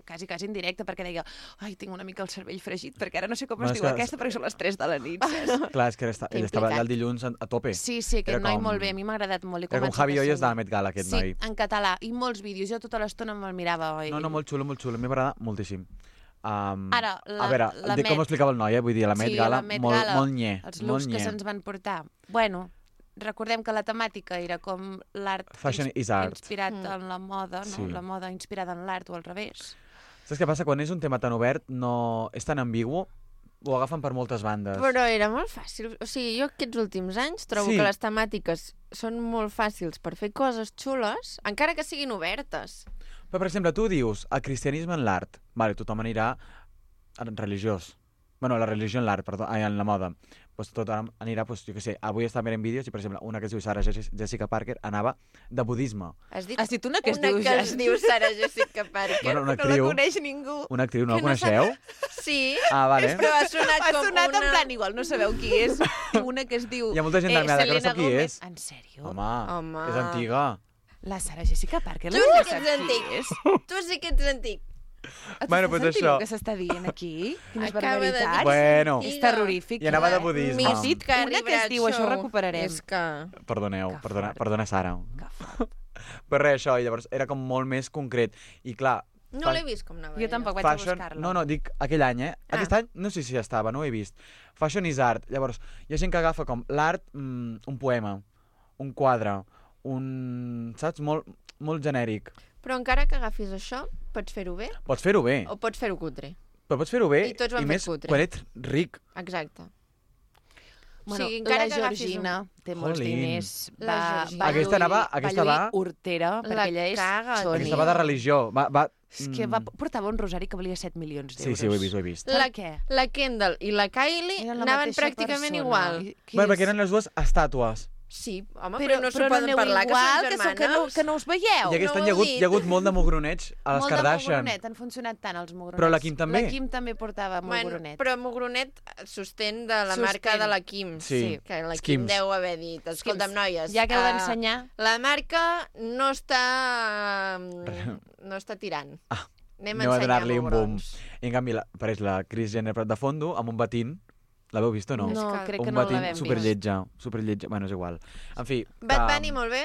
quasi en directe, perquè deia, ai, tinc una mica el cervell fregit, perquè ara no sé com Bueno, es és diu que- aquesta, perquè són les 3 de la nit, saps? Clar, és que ell estava implicat. allà el dilluns a tope. Sí, aquest Era noi com- molt bé, a mi m'ha agradat molt. Era com Javi Hoyos de la Met Gala, aquest sí, noi. en català, i molts vídeos, jo tota l'estona me'l mirava. No, molt xulo, molt xulo. A mi m'agrada moltíssim. Ara, a veure, la dic com ho explicava el noi, vull dir, la Met sí, Gala, la Met molt, Gala, molt nye. els molt looks que nye. se'ns van portar. Bueno, recordem que la temàtica era com l'art Fashion is art. inspirat en la moda, no? Sí. La moda inspirada en l'art o al revés. Saps què passa? Quan és un tema tan obert, no és tan ambigu, ho agafen per moltes bandes. Però era molt fàcil. O sigui, jo aquests últims anys trobo Sí. que les temàtiques són molt fàcils per fer coses xules, encara que siguin obertes. Però, per exemple, tu dius el cristianisme en l'art. Vale, tothom anirà en religiós. Bueno, la religió en l'art, perdó, en la moda. Pues tothom anirà, pues, jo què sé, avui està mirant vídeos i, per exemple, una que es diu Sarah Jessica Parker anava de budisme. Has dit Has dit una que es una diu que es diu Sarah Jessica Parker. Bueno, una No la actriu, coneix ningú. una actriu, no la Que no sap- coneixeu? Sí, Ah, vale. però ha sonat Ha com sonat una... en plan, igual no sabeu qui és. Una que es diu... Hi ha molta gent d'Almeda que no Selena sap qui Gomez. és. En sèrio? Home, Home. és antiga. La Sarah Jessica Parker, Tu la sí que que sap ets qui antic. és? Tu sí que ets antic. Bueno, Estàs pues sentint això. el que s'està dient aquí? Quines Acaba de dir barbaritats. que Bueno. és És antiga. terrorífic. I anava de budisme. Has dit Carrie una que es diu, això ho Bradshaw. recuperarem. És que... Perdoneu, Que fort. perdona, Sara. Que fort. Però res, això, i llavors era com molt més concret. I clar, No l'he vist com anava. Jo tampoc vaig fashion... a buscar-la. No, dic aquell any, eh? Aquest any no sé si estava, no ho he vist. Fashion is art. Llavors, hi ha gent que agafa com l'art, un poema, un quadre, saps? Molt genèric. Però encara que agafis això, pots fer-ho bé Pots fer-ho bé, o pots fer-ho cutre. però pots fer-ho bé I tots ho han fet més cutre. quan ets ric. Exacte. Bueno, O sigui, encara la que agafis Georgina té molts Jolín. diners. La Georgina. Aquesta va- hortera, perquè La ella és caga, Sony. Aquesta va de religió. És que portava un rosari que valia 7 milions d'euros. Sí, ho he vist, ho he vist. Per La, què? la Kendall i la Kylie Eren la anaven mateixa pràcticament persona. igual. Qui Bueno, és? perquè eren les dues estàtues. Sí, home, però no s'ho no poden aneu parlar, igual, que són que germanes. no us veieu. I aquest no any ho heu hi dit. ha hagut molt de mogroneig a les Molt de Kardashian. mogronet, han funcionat tant els mogronets. Però la Kim també. La Kim també portava mogronet. Però Mogronet sostén de la Sostén. marca de la Kim. Sí. Que la Skims. Kim deu haver dit, escolta'm, noies, Ja que heu d'ensenyar. la marca no està tirant. Anem Aneu a ensenyar donar-li un boom. mugrons. I en canvi apareix la Kris Jenner de fondo amb un batín. L'haveu vist o no? No, que- crec un que no batín l'havem vist. superlletja. Bueno, és igual. En fi... Bad Bunny, molt bé.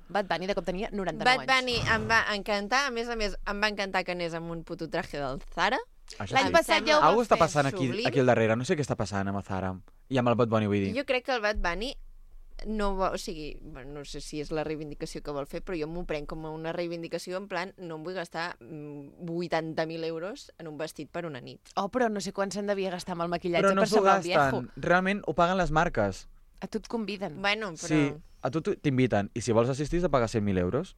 Bad Bunny de cop tenia 99 Bad anys. Bunny em va encantar. A més, em va encantar que anés amb un puto traje del Zara. Això L'any sí. passat ja ho Algú va està fer. passant aquí sublim. al darrere. No sé què està passant amb el Zara. I amb el Bad Bunny, vull dir. Jo crec que el Bad Bunny no vol, o sigui, bueno, no sé si és la reivindicació que vol fer, però jo m'ho prenc com una reivindicació en plan, no em vull gastar 80.000 euros en un vestit per una nit. Oh, però no sé quan se'n devia gastar amb el maquillatge Però no per s'ho semblar un viejo. gasten. Realment ho paguen les marques. A tu et conviden. Bueno, però... Sí, a tu t'inviten. I si vols assistir has de pagar 100.000 euros.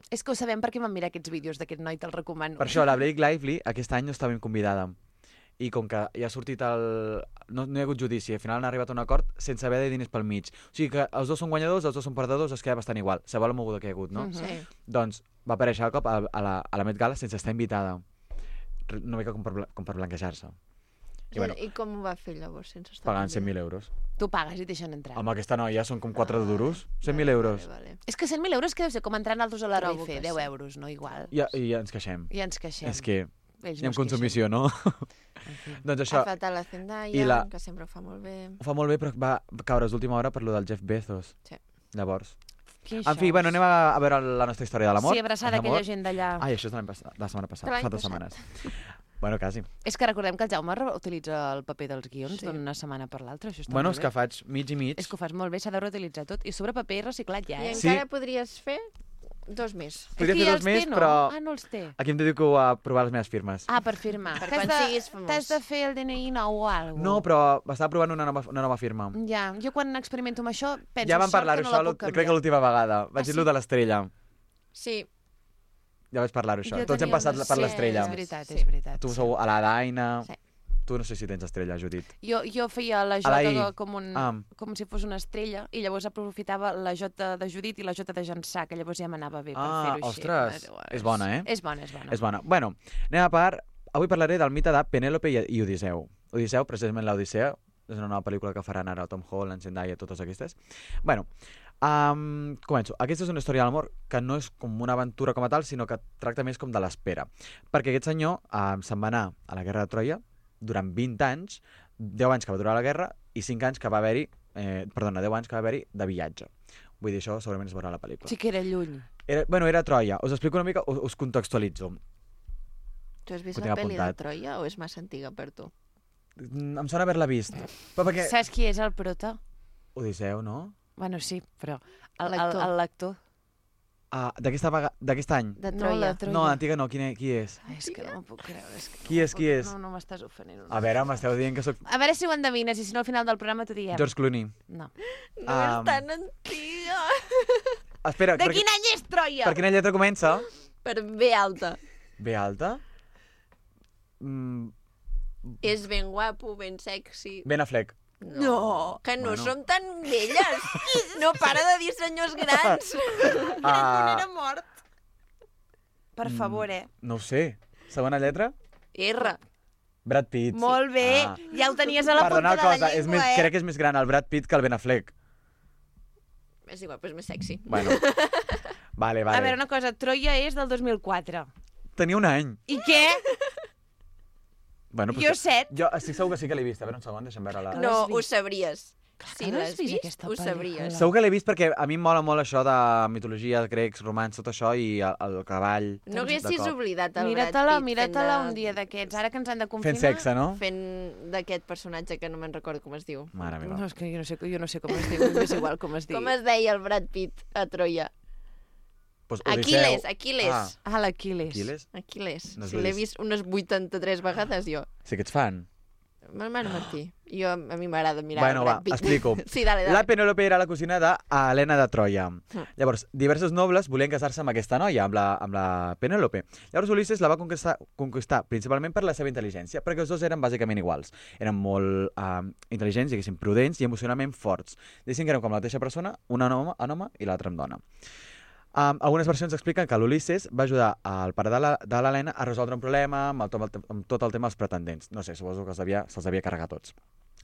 És que ho sabem perquè vam mirar aquests vídeos d'aquest noi, te'l recomano. Per això, la Blake Lively aquest any no està ben convidada. I com que ja ha sortit el... No hi ha hagut judici, al final han arribat a un acord sense haver de diners pel mig. O sigui que els dos són guanyadors, els dos són perdedors, es queda bastant igual. Sabeu la moguda que hi ha hagut, no? Sí. Doncs va aparèixer al cop a la Met Gala sense estar invitada. Una mica com per blanquejar-se. I com ho va fer llavors, sense estar Pagant 100.000 euros. Tu pagues i et deixen entrar. Amb aquesta noia són com 4 duros. 100.000 euros. Vale. És que 100.000 euros que deu ser com entrar altres a la Trobo RF, que 10 sí. euros, no? Igual. I ens queixem. I ens queixem. És que Ells hi ha no es consumició, no? Doncs això, Ha fet a la Zendaya, que sempre ho fa molt bé. ho fa molt bé, però va caure d'última hora per lo del Jeff Bezos. Sí. Llavors. Quin En fi, xous. bueno, anem a veure la nostra història de l'amor. Sí, abraçada L'amor. aquella gent d'allà. Ai, això és de la setmana passada, De l'any fa 2 passat. setmanes. Bueno, quasi. És que recordem que el Jaume utilitza el paper dels guions Sí. d'una setmana per l'altra. Això està Bueno, molt és bé. que faig mig i mig. És que ho fas molt bé, s'ha de reutilitzar tot. I sobre paper reciclat ja, I eh? Sí. encara podries fer 2 més. Podria És que fer ja 2 els més, té, no? però Ah, no els té. aquí em dedico a provar les meves firmes. Ah, per firmar. Per Que has quan de- siguis famós. T'has de fer el DNI nou o alguna No, però estava provant una nova firma. Ja, jo quan experimento amb això penso Ja vam parlar-ho, que no la això, puc canviar. crec que l'última vegada. Vaig Ah, dir-lo sí? de l'estrella. Sí, Ja vaig parlar-ho, això. Jo Tots hem tenia passat una- per sí, l'estrella. És veritat, Sí. és veritat. Tu sou a la Daina. Sí. Tu no sé si tens estrella, Judit. Jo feia la A la Jota I. com si fos una estrella i llavors aprofitava la Jota de Judit i la Jota de Jansà, que llavors ja m'anava bé per fer-ho així. Ostres, és bona, eh? És bona, és bona. És bona. Bueno, anem a part. Avui parlaré del mite de Penèlope i Odisseu. Odisseu, precisament l'Odissea, és una nova pel·lícula que faran ara el Tom Holland, Zendaya, totes aquestes. Bueno, començo. Aquesta és una història d'amor que no és com una aventura com a tal, sinó que tracta més com de l'espera. Perquè aquest senyor se'n va anar a la Guerra de Troia durant 20 anys, 10 anys que va durar la guerra i 5 anys que va haver-hi, 10 anys que va haver-hi de viatge. Vull dir, això segurament es veurà a la pel·lícula. Sí que era lluny. Era Troia. Us explico una mica, us contextualitzo. tu has vist Ho la tinc pel·li de apuntat. Troia o és massa antiga per tu? Em sona haver-la vist. Però perquè... Saps qui és el prota? Odisseu, no? Bueno, sí, però L'actor. el lector. D'aquest any? De No, Troia. la Troia. No, antiga no. Qui és? Ai, és que no m'ho puc creure. És que Qui és, qui és? No m'estàs ofenent. A veure, m'esteu dient que sóc A veure si ho endevines i si no al final del programa t'ho diem. George Clooney. No. No és tan antiga. Espera, De quin any és Troia? per quina lletra comença? Per B alta. B alta? És ben guapo, ben sexy. Ben Affleck. No, que no Bueno. som tan velles. No para de dir senyors grans. Ah, mort. Per favor, no ho sé. Segona lletra? R. Brad Pitt. Molt bé, Ah. ja ho tenies a la Perdona punta una de la cosa, llengua, crec que és més gran el Brad Pitt que el Ben Affleck. És igual, però és més sexy. Bueno. Vale. A veure, una cosa, Troia és del 2004. Tenia un any. I què? Bueno, Jo 7. Jo estic segur que sí que l'he vist. A veure, un segon, deixa'm veure la... l'has No, vist. ho sabries. Clar Si que l'has l'has vist, vist, aquesta ho pel·lícula. sabries. Segur que l'he vist perquè a mi em mola molt això de mitologia, grecs, romans, tot això, i el cavall... No de haguessis cop. oblidat el Brad Mira-te-la, Pitt mira-te-la un dia d'aquests, ara que ens han de confinar. Fent sexe, no? fent d'aquest personatge que no me'n recordo com es diu. Mare meva. No, és que jo no sé com es diu, m'és igual com es diu. Com es deia el Brad Pitt a Troia? Pues Aquiles, Odisseu. Aquiles. Ah, Ah, l'Aquiles. Aquiles? Aquiles. No Si l'he l'he vist. vist unes 83 vegades, jo. Sí que ets fan. Hermano Martí. Jo, a mi m'agrada mirar Bueno, el Brad va, Pitt. explico. Sí, dale. La Penèlope era la cosina d'Helena de Troia. Mm. Llavors, diversos nobles volien casar-se amb aquesta noia, amb la Penèlope. Llavors, Ulisses la va conquistar principalment per la seva intel·ligència, perquè els dos eren bàsicament iguals. Eren molt intel·ligents, diguéssim, prudents i emocionalment forts. Diguéssim que eren com la mateixa persona, una en home i l'altra en dona. Algunes versions expliquen que l'Ulisses va ajudar al pare de l'Helena a resoldre un problema amb tot el tema dels pretendents. No sé, suposo que se'ls devia carregar tots.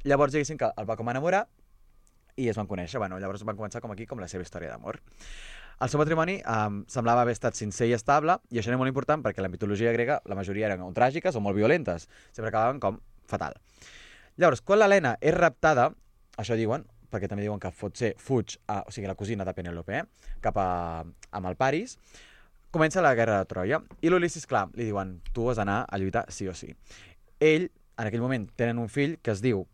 Llavors, diguéssim que el va com a enamorar i es van conèixer. Bueno, llavors van començar com aquí, com la seva història d'amor. El seu matrimoni semblava haver estat sincer i estable, i això era molt important perquè la mitologia grega la majoria eren o tràgiques o molt violentes. Sempre acabaven com fatal. Llavors, quan l'Helena és raptada, això diuen, perquè també diuen que fuig, o sigui, la cosina de Penèlope, cap amb el Paris, comença la guerra de Troia. I l'Ulisses, clar, li diuen, tu has d'anar a lluitar sí o sí. Ell, en aquell moment, tenen un fill que es diu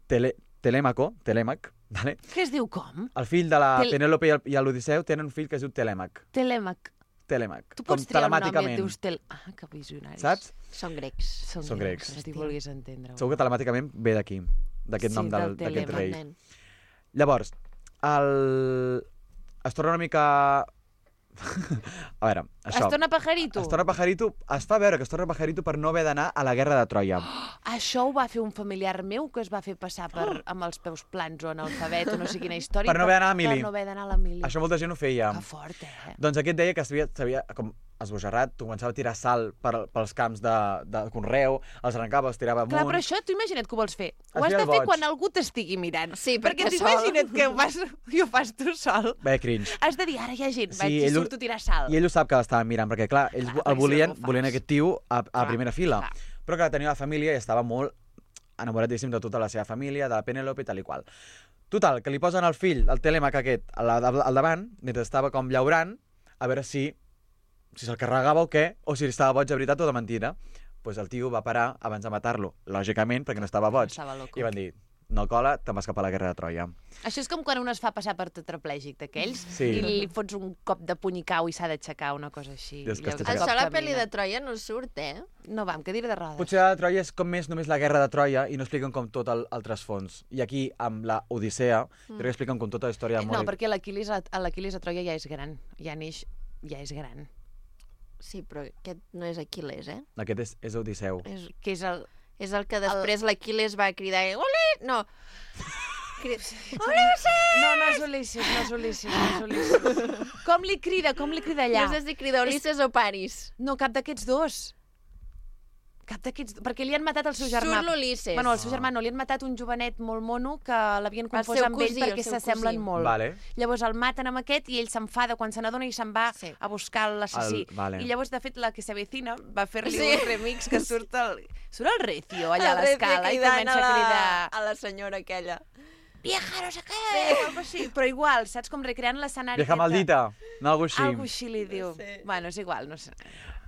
Telèmac, vale? Que es diu com? El fill de la Penèlope i l'Odisseu tenen un fill que es diu Telèmac. Telèmac. Telèmac. Tu pots com triar un nom i et telemàticament. dius que visionaris. Saps? Són grecs. Són grecs. Si vulguis entendre-ho. Segur que telemàticament ve d'aquí, d'aquest Sí, nom del d'aquest Telèmac, rei. Nen. Llavors, es torna una mica A veure, això... Es torna pajarito? Es torna pajarito, es fa veure que es torna pajarito per no haver d'anar a la guerra de Troia. Això ho va fer un familiar meu que es va fer passar amb els peus plans o analfabet o no sé quina història. Per no haver d'anar a Mili. Per no haver d'anar a la Mili. Això molta gent ho feia. Que fort, Doncs aquest deia que s'havia com esbojarrat, començava a tirar sal pels camps de conreu, els arrencava, els tirava amunt... Clar, però això, tu imagina't que ho vols fer. Ho has feia de el fer boig. quan algú t'estigui mirant. Sí, perquè perquè tu imagina't que ho fas tu sol. Bé, cringe. Has de dir, ara hi ha gent, Sí, vaig i ell ho- surto a tirar sal. I ell ho sap que l'estaven mirant, perquè clar, ells Clar, el perquè volien, si no ho fas. volien aquest tio a Clar, primera fila. clar. Però clar, tenia la família i estava molt enamoradíssim de tota la seva família, de la Penélope i tal i qual. Total, que li posen el fill, el Telèmac aquest, al davant, mentre estava com llaurant, a veure si se'l carregava o què, o si estava boig de veritat o de mentira. Pues el tio va parar abans de matar-lo, lògicament, perquè no estava boig. Estava loco. I van dir, no cola, te'n vas cap a la guerra de Troia. Això és com quan un es fa passar per tetraplègic d'aquells Sí. i li fots un cop de puny i cau i s'ha d'aixecar, una cosa així. I és que Llavors, està un Això cop a la camina. pel·li de Troia no surt, No va, amb cadira de rodes. Potser la de Troia és com més només la guerra de Troia i no expliquen com tot el trasfons. I aquí, amb la Odissea, crec que expliquen com tota la història de No, molt... perquè l'Aquiles a Troia ja és gran. Ja neix, ja és gran. Sí, però aquest no és Aquiles, Aquest és Odisseu. Que és el... És el que després l'Aquiles va cridar... Ole! No! No és Ulisses. Com li crida allà? No sé si crida Ulisses o Paris. No, cap d'aquests dos. Perquè li han matat el seu germà. Surt l'Ulisses. Bueno, el seu germà no, li han matat un jovenet molt mono que l'havien confós seu amb ell cosí, perquè el seu s'assemblen cosí. molt. Vale. Llavors el maten amb aquest i ell s'enfada quan se n'adona i se'n va a buscar l'assassí. Vale. I llavors, de fet, la que s'avecina va fer-li Sí. un remix que surt el Recio allà a El Recio l'escala i cridant comença a cridar... a la senyora aquella. Vieja, no sé què, o algo així. Però igual, saps, com recreant l'escenari. Vieja maldita, no algo així. Algo així li diu. Bueno, és igual, no sé.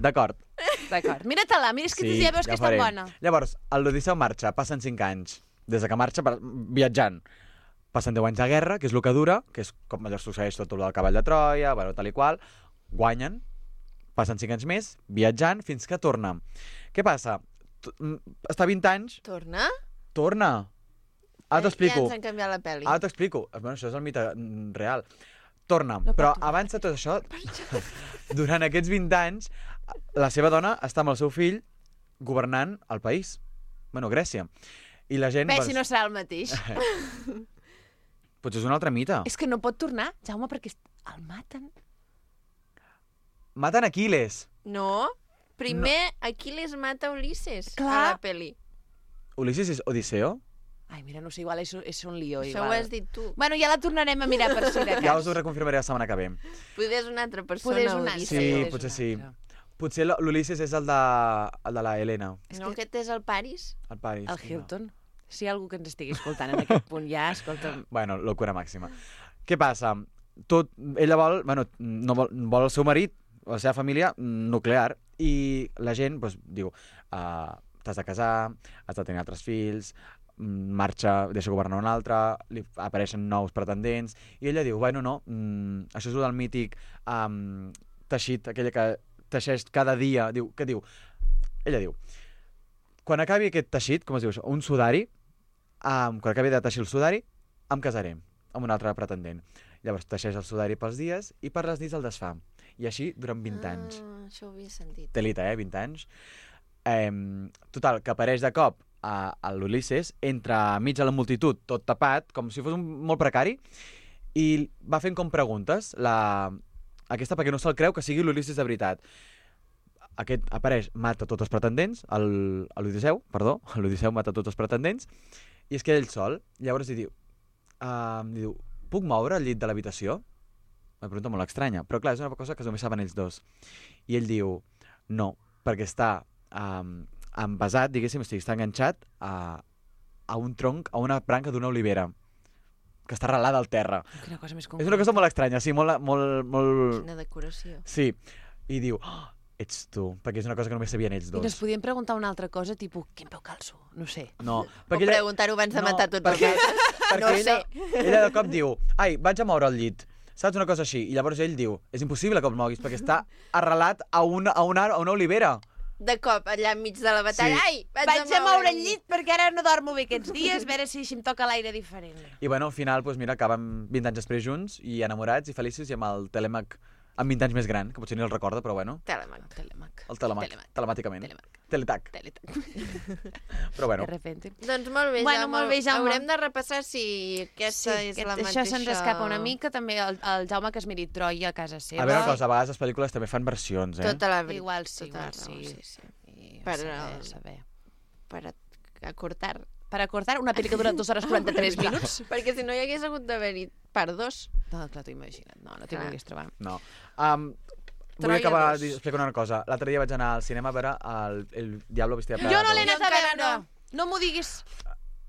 D'acord. D'acord. Mira-te-la, mira, és que tu ja veus que és tan faré. bona. Llavors, l'Odisseu marxa, passen 5 anys. Des de que marxa, viatjant. Passen 10 anys de guerra, que és el que dura, que és com allò succeeix tot el del cavall de Troia, bueno, tal i qual. Guanyen, passen 5 anys més, viatjant, fins que torna. Què passa? Està 20 anys... Torna? Torna! Ara t'explico. Ja ens han canviat la pel·li. Ara t'explico. Bueno, això és el mite real. Torna. Però abans de tot això, durant aquests 20 anys, la seva dona està amb el seu fill governant el país. Bueno, Grècia. I la gent... Bé, si no serà el mateix. Potser és un altre mite. És que no pot tornar, Jaume, perquè el maten. Maten Aquiles. No. Primer Aquiles mata Ulisses Clar. a la pel·li. Ulisses és Odisseo? Ai, mira, no sé, igual és un lío. Això igual. ho has dit tu. Bueno, ja la tornarem a mirar per si de cas. Ja us ho reconfirmaré la setmana que ve. Poder és una altra persona. Poder és una altra. Odisseu. Sí, és potser un sí. altre. Potser l'Ulisses és el de la Helena. No, aquest és el Paris? El Paris. El Hilton. Si hi ha algú que ens estigui escoltant en aquest punt ja, escolta'm. Bueno, locura màxima. Què passa? Ella vol, bueno, no vol el seu marit, la seva família nuclear, i la gent doncs, diu, t'has de casar, has de tenir altres fills, marxa, deixa governar un altre, li apareixen nous pretendents, i ella diu, bueno, no, això és el del mític teixit, aquella que teixeix cada dia, diu, què diu? Ella diu, quan acabi aquest teixit, com es diu això, un sudari, quan acabi de teixir el sudari, em casaré amb un altre pretendent. Llavors teixeix el sudari pels dies i per les nits el desfà. I així durant 20 anys. Això ho havia sentit. Telita, 20 anys. Total, que apareix de cop a l'Ulisses, entra mig a la multitud, tot tapat, com si fos molt precari, i va fent com preguntes, aquesta perquè no se'l creu que sigui l'Ulisses de veritat. Aquest apareix, mata tots els pretendents, l'Odisseu mata tots els pretendents, i es queda ell sol. Llavors li diu, puc moure el llit de l'habitació? Una pregunta molt estranya, però clar, és una cosa que només saben ells dos. I ell diu, no, perquè està envasat, diguéssim, està enganxat a un tronc, a una branca d'una olivera, que està arrelada al terra. Quina cosa més És una cosa molt estranya, sí, molt... Quina decoració. Sí, i diu, ets tu, perquè és una cosa que només sabien ells I dos. ens podíem preguntar una altra cosa, tipus, quin peu calço? No sé. No, O preguntar-ho abans de matar tots els altres. perquè No ella, sé. ella de cop diu, ai, vaig a moure el llit. Saps una cosa així? I llavors ell diu, és impossible que el moguis, perquè està arrelat a una olivera. De cop, allà enmig de la batalla. Sí. Ai, Vaig a moure el llit perquè ara no dormo bé aquests dies, a veure si em toca l'aire diferent. I bueno, al final, doncs mira, acaben 20 anys després junts i enamorats i feliços i amb el Telèmac amb 20 anys més gran, que potser ni el recorda, però bueno. Telemac. El Telemac, telemàticament. Teletac. Però bueno. De repente. Doncs molt bé, Bueno, molt bé, Jaume. Haurem de repassar si aquesta és la mateixa... Això se'ns escapa una mica, també el Jaume que es miri Troia a casa seva. A veure una cosa, a vegades les pel·lícules també fan versions, Tota la veritat. Igual sí. Sí. Saber. Per acortar. Per acortar, una pel·li que dura 2 hores 43 minuts. Perquè si no hi hagués hagut d'haver-hi part 2. No, clar, t'ho imagina't. No t'hi vulguis trobar. No. Vull acabar explicant una cosa. L'altre dia vaig anar al cinema a veure el Diablo Vestida de Prada. Jo no l'he anat a encara veure. No m'ho diguis.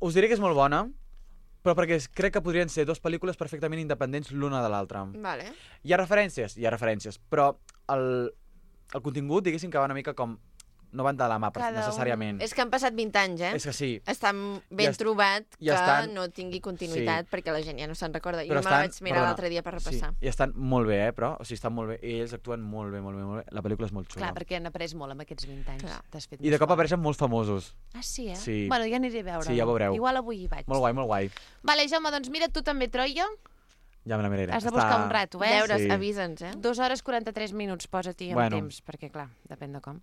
Us diré que és molt bona, però perquè crec que podrien ser 2 pel·lícules perfectament independents l'una de l'altra. Vale. Hi ha referències, però el contingut, diguéssim, que va una mica com... no van de la mà necessàriament. És que han passat 20 anys, eh? És que sí. Està ben trobat que no tingui continuïtat, perquè la gent ja no se'n recorda. Però jo me la vaig mirar l'altre dia per repassar. Sí, i estan molt bé, però, o sigui, estan molt bé, i ells actuen molt bé. La pel·lícula és molt xula. Clar, perquè han après molt amb aquests 20 anys. T'has fet I de cop apareixen molts famosos. Ah, sí, eh? Sí. Bueno, ja aniré a veure. Sí, ja ho veureu. Igual avui hi vaig. Molt guai. Vale, Jaume, doncs mira tu també Troia. Ja me la miraré. Has de buscar un rato, eh? Deures, avisa'ns, eh? 2 hores 43 minuts, posa-t'hi amb temps, perquè clar, depèn de com.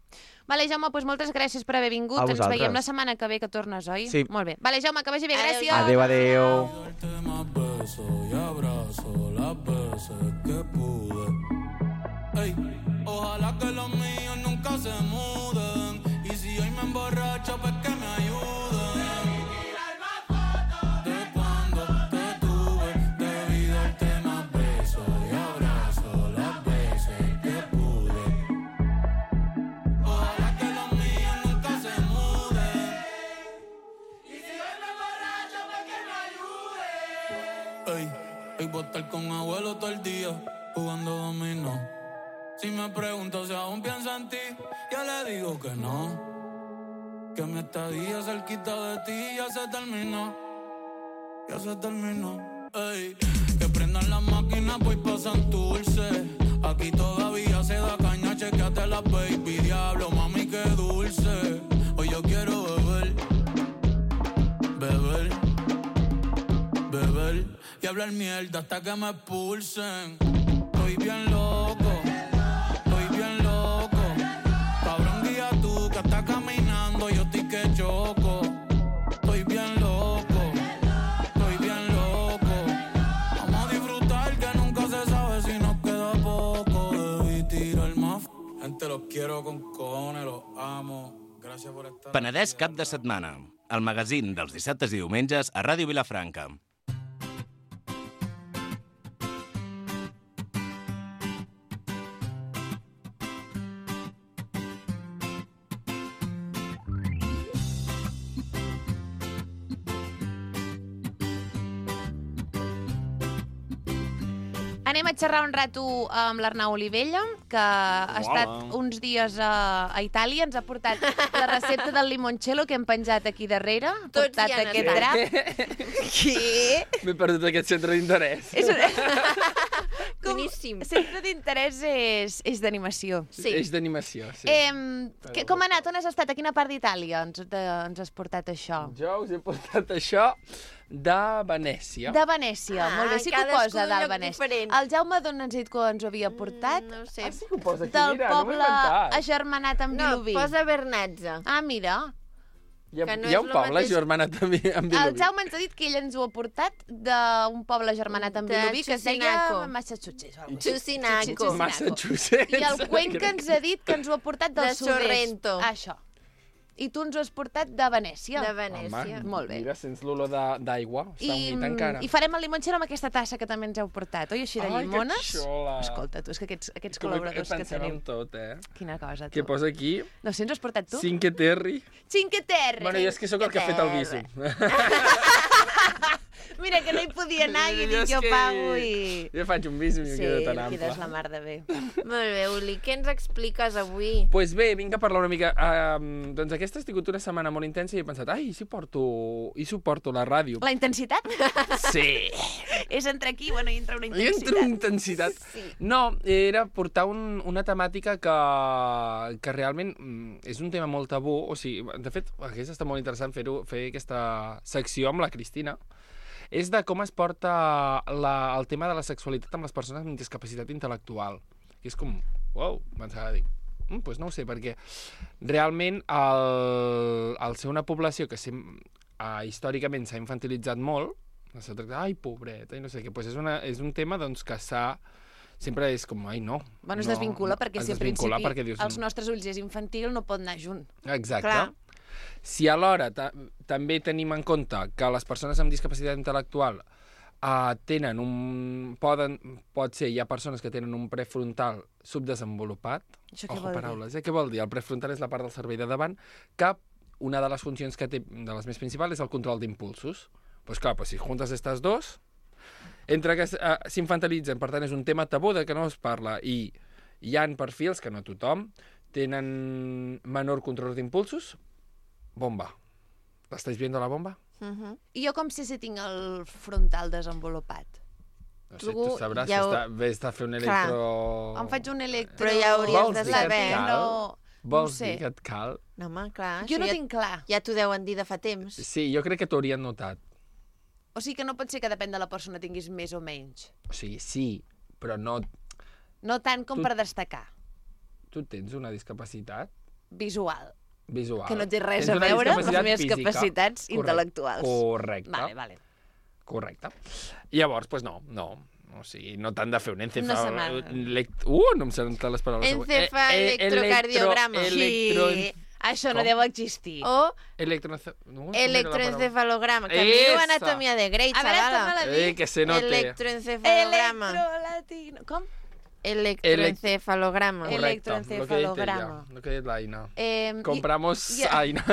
Vale, Jaume, doncs moltes gràcies per haver vingut. Ens veiem la setmana que ve que tornes, oi? Sí. Molt bé. Vale, Jaume, que vagi bé, gràcies. Adéu. Ojalá que los míos nunca se muden. Y si hoy me emborracho, pues que me ayuden. Hoy voy a estar con abuelo todo el día jugando dominó. Si me pregunto si aún pienso en ti, yo le digo que no. Que mi estadía cerquita de ti ya se terminó. Ey, que prendan las máquinas, voy pa' Santurce. Aquí todavía se da caña, chequeate la baby. Diablo, mami, qué dulce. Hoy yo quiero beber y hablar mierda hasta que me expulsen. Estoy bien loco. Cabrón, guía tú que estás caminando, yo estoy que choco. Estoy bien loco. Vamos a disfrutar que nunca se sabe si nos queda poco. Debí tirar más. Gente, los quiero con cojones, los amo. Gràcies per estar. Penedès cap de setmana. El magazín dels dissabtes i diumenges a Ràdio Vilafranca. Anem a xerrar un rato amb l'Arnau Olivella, que ha estat uns dies a Itàlia. Ens ha portat la recepta del limoncello que hem penjat aquí darrere. Ha portat aquest drap. Què? M'he perdut aquest centre d'interès. Boníssim. Centre d'interès és d'animació. Sí. És d'animació, sí. Com ha anat? On has estat? A quina part d'Itàlia ens has portat això? Jo us he portat això de Venècia. De Venècia, molt bé. Sí que ho posa dalt Venècia. El Jaume d'on ens ha dit que ens ho havia portat? No ho sé. Sí que ho posa aquí, del mira, no m'ho he poble inventat. agermanat amb Vilobí. No, posa Bernatza. Ah, mira. Hi ha un poble agermanat amb Vilobí. El Jaume ens ha dit que ell ens ho ha portat d'un poble agermanat amb Vilobí que es deia Massachusetts. Massachusetts. I el Cuenca ens ha dit que ens ho ha portat del De sud-est. Sorrento. Això. I tu ens ho has portat de Venècia. De Venècia. Molt bé. Mira, sents l'olor d'aigua. Està unit encara. I farem el limoncello amb aquesta tassa que també ens heu portat, oi? Així de llimones. Ai, que xula. Escolta, tu, és que aquests col·laboradors que tenim. Tot, Quina cosa, tu. Què posa aquí? No sé, ens ho has portat tu? Cinque Terre. Cinque Terre. Bueno, jo és que sóc el que ha fet el viso. Mira, que no hi podia anar i he dit jo pago i... Jo faig un viso i em quedo tan ample. Sí, quedes la mar de bé. Molt bé, Uli, què ens expliques avui? Doncs pues bé, vinc a parlar una mica. Doncs aquesta ha sigut una setmana molt intensa i he pensat, i si porto la ràdio? La intensitat? Sí. És entre aquí, bueno, i entra una I intensitat. entra una intensitat. Sí. No, era portar una temàtica que realment és un tema molt tabú. O sigui, de fet, hauria estat molt interessant fer aquesta secció amb la Cristina. És de com es porta el tema de la sexualitat amb les persones amb discapacitat intel·lectual. que és com, uau, pensava, dic, doncs no ho sé, perquè realment al ser una població que històricament s'ha infantilitzat molt, s'ha tractat, ai, pobreta, i no sé què, doncs és un tema doncs, que sempre és com, ai, no. Bueno, es desvincula, perquè si al principi dius, als nostres ulls és infantil, no pot anar junt. Exacte. Clar. Si alhora també tenim en compte que les persones amb discapacitat intel·lectual tenen pot ser, hi ha persones que tenen un prefrontal subdesenvolupat. Això què vol dir? Paraules, què vol dir? El prefrontal és la part del cervell de davant que una de les funcions que té, de les més principals, és el control d'impulsos. Doncs clar, si juntes aquestes dos, entre que s'infantilitzen, per tant és un tema tabú de que no es parla, i hi ha perfils que no tothom tenen menor control d'impulsos, bomba. ¿Estáis viendo la bomba? I jo com sé si tinc el frontal desenvolupat? No sé, tu sabràs si vés a fer un electro... Em faig un electro... Però ja hauries de saber. Vols dir que et cal? No, home, clar. Jo no tinc clar. Ja t'ho deuen dir de fa temps. Sí, jo crec que t'ho haurien notat. O sigui que no pot ser que depèn de la persona tinguis més o menys. O sigui, sí, però no... No tant com per destacar. Tu tens una discapacitat? Visual. Visual. Que no té res a veure amb les meves capacitats intel·lectuals. Correcte. Vale. Correcte. Llavors, doncs no. O sigui, no t'han de fer un encefal... no em senten les paraules. Encefalocardiograma. Sí. Això no deu existir. O electroencefalograma. que diu anatomia de Grey, xavala. Que se note. Electroencefalograma. Electrolatino. Com? Electroencefalograma. Electroencefalograma. Lo que ha dit l'Aina. Compramos Aina.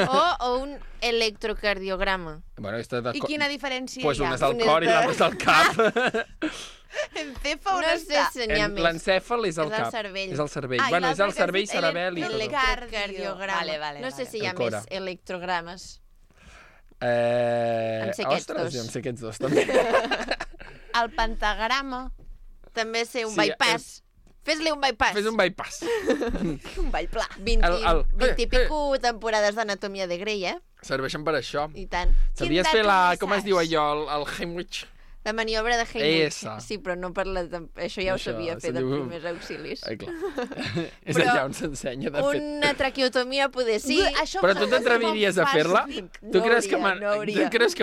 O un electrocardiograma. Bueno, I quina diferència pues hi ha? Una és al cor i l'altra és al cap. Encèfal on no està? sé si n'hi ha més. L'encèfal és el cap. cervell. És el cervell. Bueno, és el cervell, cerebel i tot. Electrocardiograma. No sé si hi ha més electrogrames. Em sé aquests dos. Em sé aquests dos, també. El pentagrama. També sé un bypass. Fes-li un bypass. Fes un bypass. Un bypla. 20 i pico temporades d'anatomia de Grey, Serveixen per això. I tant. Sabies fer com es diu allò, el Heimlich? La maniobra de Heimlich. Esa. Sí, però no per això ja ho sabia fer de primers auxilis. Clar. És allà on s'ensenya de fet. Una traqueotomia poder sí. Però tu t'atreviries a fer-la? Tu creus que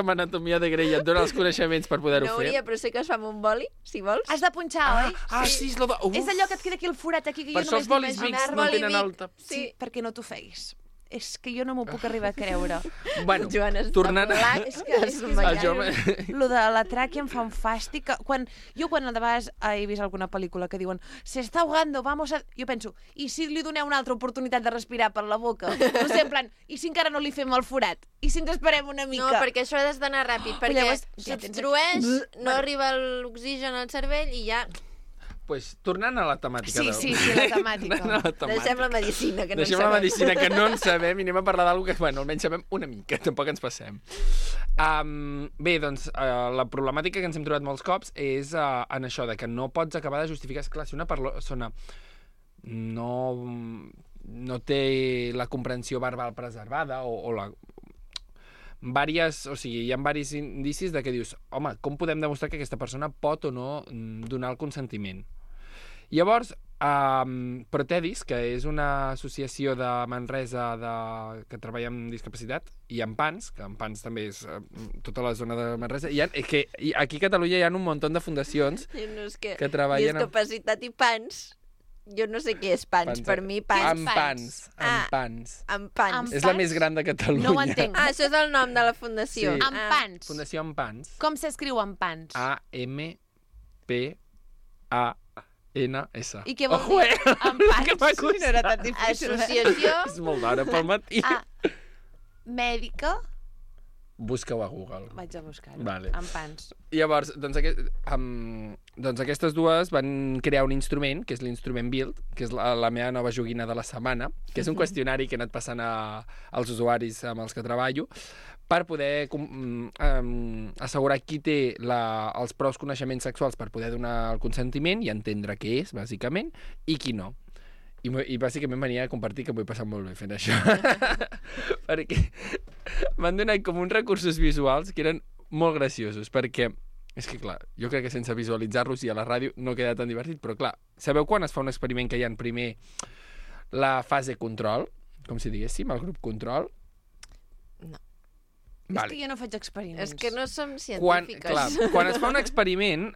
amb anatomia de Grey et dona els coneixements per poder-ho fer? No hauria, però sé que es fa amb un boli, si vols. Has de punxar, oi? Sí, és allò que et queda aquí el forat, aquí, que jo només només d'imaginar. Per això els bolis Vics no tenen alta. Sí, perquè no t'ho feis. És que jo no m'ho puc arribar a creure. Bueno, tornant a... És que lo de la tràquea em fa un fàstic. Quan de vegades he vist alguna pel·lícula que diuen se està ahogando, vamos a... Jo penso, i si li doneu una altra oportunitat de respirar per la boca? No sé, en plan, i si encara no li fem el forat? I si ens esperem una mica? No, perquè això has d'anar ràpid, perquè s'obstrueix, no arriba l'oxigen al cervell i ja... Pues, tornant a la temàtica. Sí, la temàtica. Deixem la medicina, que no en sabem. Deixem la medicina, que no en sabem, i anem a parlar d'alguna que, bueno, almenys sabem una mica, tampoc ens passem. Bé, doncs, la problemàtica que ens hem trobat molts cops és en això, de que no pots acabar de justificar. Esclar, si una persona no té la comprensió verbal preservada o la... hi ha diversos indicis de que dius, home, com podem demostrar que aquesta persona pot o no donar el consentiment? Llavors, Protedis, que és una associació de Manresa que treballa amb discapacitat, i Ampans, que Ampans també és tota la zona de Manresa, aquí a Catalunya hi ha un munt de fundacions que treballen... Discapacitat i pans... Jo no sé què és pans, per mi pans. Ampans. És la més gran de Catalunya. No ho entenc. Això és el nom de la fundació. Sí. Ampans. Fundació Ampans. Com s'escriu Ampans? A-M-P-A-N-S. I què vol dir? Ampans. No era tan difícil. Associació... És molt d'hora pel matí. Mèdica... Busca-ho a Google. Vaig a buscar-ho. Vale. Ampans. Llavors, doncs aquestes dues van crear un instrument, que és l'instrument Build, que és la meva nova joguina de la setmana, que és un qüestionari que he anat passant als usuaris amb els que treballo, per poder assegurar qui té els prous coneixements sexuals per poder donar el consentiment i entendre què és, bàsicament, i qui no. I bàsicament venia a compartir que m'ho he passat molt bé fent això. Perquè m'han donat com uns recursos visuals que eren molt graciosos, perquè És que, clar, jo crec que sense visualitzar-los i a la ràdio no queda tan divertit, però, clar, sabeu quan es fa un experiment que hi ha primer la fase control, com si diguéssim, el grup control? No. És que jo no faig experiments. És que no som científiques. Quan es fa un experiment,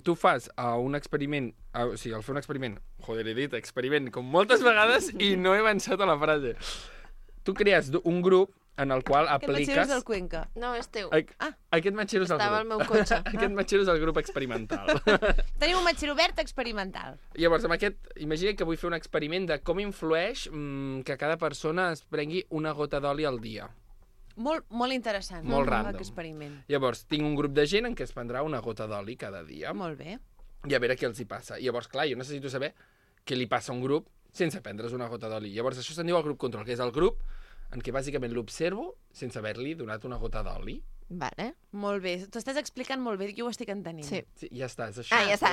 tu fas un experiment... O sigui, al fer un experiment... Joder, he dit experiment com moltes vegades i no he avançat a la frase. Tu crees un grup en el qual apliques... Aquest matxero és del Cuenca. No, és teu. Aquest matxero és el grup. Estava al meu cotxe. Aquest matxero és el grup experimental. Tenim un matxero obert experimental. Llavors, amb aquest, imagina que vull fer un experiment de com influeix que cada persona es prengui una gota d'oli al dia. Molt interessant. Molt random. Experiment. Llavors, tinc un grup de gent en què es prendrà una gota d'oli cada dia. Molt bé. I a veure què els hi passa. Llavors, clar, jo necessito saber què li passa a un grup sense prendre's una gota d'oli. Llavors, això se'n diu el grup control, que és el grup en què bàsicament l'observo sense haver-li donat una gota d'oli. Vale. Molt bé. T'ho estàs explicant molt bé, jo ho estic entenent. Sí. Ja està, és això. Ja està.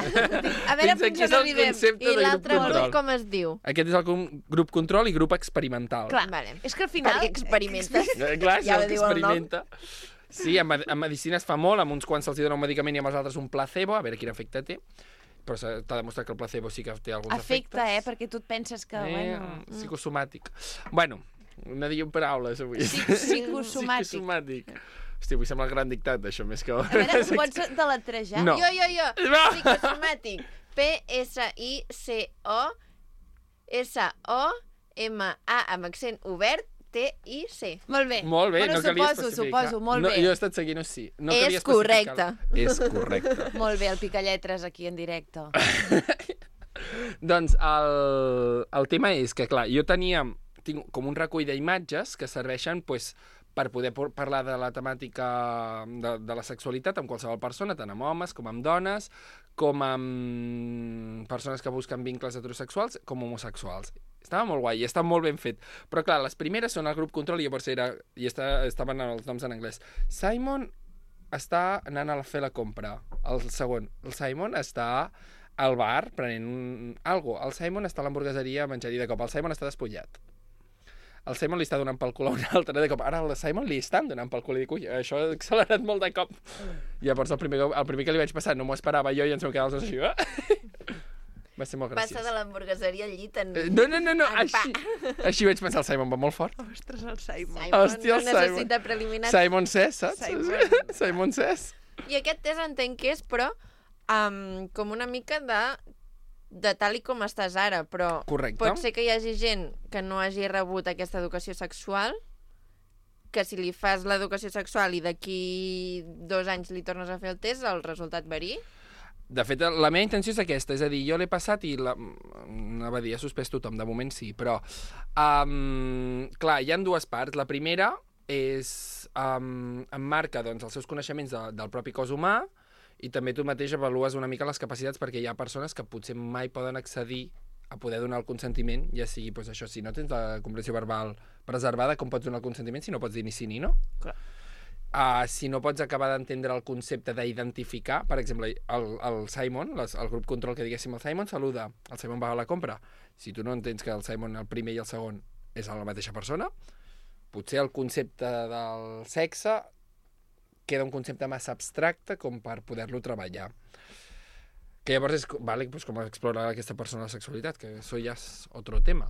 A veure fins on arribem. I l'altre grup com es diu? Aquest és el grup control i grup experimental. Clar, vale. És que al final... Perquè experimentes. Clar, ja el que experimenta. Sí, en medicina es fa molt, amb uns quants se'ls dona un medicament i amb els altres un placebo, a veure quin efecte té. Però t'ha demostrat que el placebo sí que té alguns efectes. Efecte, perquè tu et penses que... Psicosomàtic. Bueno, no diguem paraules avui. Psicosomàtic. Hòstia, avui sembla el gran dictat d'això, més que... A veure, ho pots deletrejar? No. Jo. Psicosomàtic. P-S-I-C-O-S-O-M-A amb accent obert T-I-C. Molt bé. Molt bé, bueno, no calia especificar. Suposo, molt bé. Jo he estat seguint sí. No és correcte. És correcte. Molt bé, el picalletres aquí en directe. Doncs el tema és que, clar, jo tinc com un recull d'imatges que serveixen pues, per poder parlar de la temàtica de la sexualitat amb qualsevol persona, tant amb homes com amb dones, com amb persones que busquen vincles heterosexuals com homosexuals. Estava molt guai i està molt ben fet. Però clar, les primeres són el grup control i llavors estaven els noms en anglès. Simon està anant a fer la compra. El segon, el Simon està al bar prenent alguna cosa. El Simon està a l'hamburgueseria menjant i de cop. El Simon està despullat. El Simon li està donant pel cul a un altre de cop. Ara el Simon li estan donant pel cul i dic, ui, això ha accelerat molt de cop. Llavors el primer que li vaig passar no m'ho esperava jo i ens vam quedar els dos així. Va ser molt graciós. Passa de l'hamburgueseria al llit en... No, així vaig pensar, el Simon va molt fort. Ostres, el Simon. Hòstia, el no necessita preliminars. Simon Says, saps? Simon Says. I aquest test entenc que és, però, com una mica de tal i com estàs ara, però correcte. Pot ser que hi hagi gent que no hagi rebut aquesta educació sexual, que si li fas l'educació sexual i d'aquí 2 anys li tornes a fer el test, el resultat varia? De fet, la meva intenció és aquesta, és a dir, jo l'he passat i anava a dir, ha suspès tothom, de moment sí, però clar, hi ha 2 parts. La primera és emmarca doncs, els seus coneixements del propi cos humà i també tu mateix avalues una mica les capacitats perquè hi ha persones que potser mai poden accedir a poder donar el consentiment, ja sigui, doncs això, si no tens la comprensió verbal preservada, com pots donar el consentiment si no pots dir ni sí ni no? Clar. Si no pots acabar d'entendre el concepte d'identificar, per exemple, el Simon, el grup control que diguéssim, el Simon saluda, el Simon va a la compra. Si tu no entens que el Simon, el primer i el segon, és la mateixa persona, potser el concepte del sexe queda un concepte massa abstracte com per poder-lo treballar. Que llavors és doncs com explorar aquesta persona la sexualitat, que això ja és otro tema.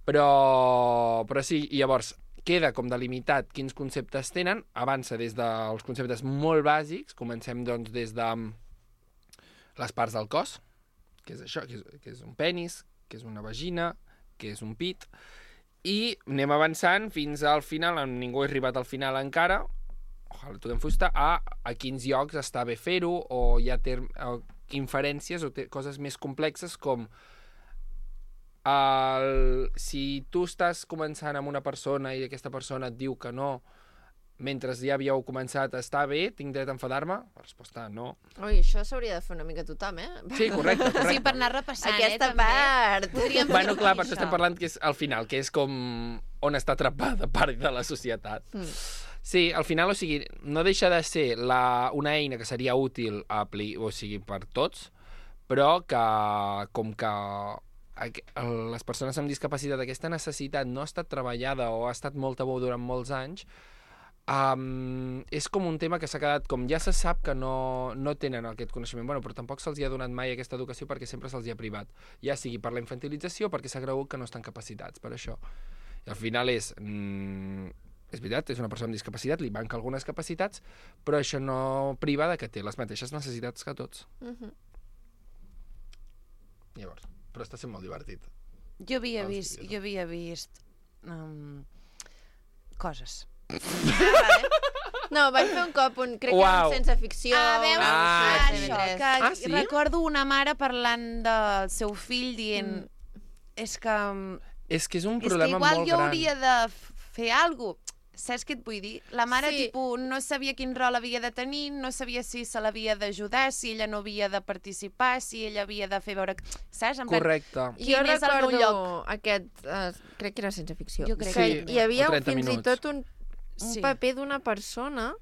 Però sí, i llavors queda com delimitat quins conceptes tenen, avança des dels conceptes molt bàsics, comencem doncs des de les parts del cos, que és això, que és un penis, que és una vagina, que és un pit, i anem avançant fins al final, ningú ha arribat al final encara, ojalà tothom fusta, a quins llocs està bé fer-ho, o hi ha inferències o coses més complexes com si tu estàs començant amb una persona i aquesta persona et diu que no, mentre ja havíeu començat a estar bé, tinc dret a enfadar-me? La resposta no. Ui, això s'hauria de fer una mica tothom, Sí, correcte. Sí, per anar repassant, aquesta també. part. Bueno, clar, per això estem parlant que és al final, que és com on està atrapada part de la societat. Sí, al final, o sigui, no deixa de ser una eina que seria útil o sigui, per tots, però que com que les persones amb discapacitat, aquesta necessitat no ha estat treballada o ha estat molt tabú durant molts anys, és com un tema que s'ha quedat, com ja se sap que no tenen aquest coneixement, bueno, però tampoc se'ls ha donat mai aquesta educació perquè sempre se'ls ha privat, ja sigui per la infantilització o perquè s'ha cregut que no estan capacitats per això. I al final és veritat, és una persona amb discapacitat, li manca algunes capacitats, però això no priva de que té les mateixes necessitats que tots. Llavors, però està sent molt divertit. Jo havia vist coses. No, van fer un cop, crec que era un sense ficció. Això, que recordo una mare parlant del seu fill dient és que és un problema molt gran. Igual jo hauria de fer alguna cosa. Saps què et vull dir? La mare, no sabia quin rol havia de tenir, no sabia si se l'havia d'ajudar, si ella no havia de participar, si ella havia de fer veure... Saps? Correcte. Jo recordo aquest... crec que era sense ficció. Jo crec que hi havia fins i tot un paper d'una persona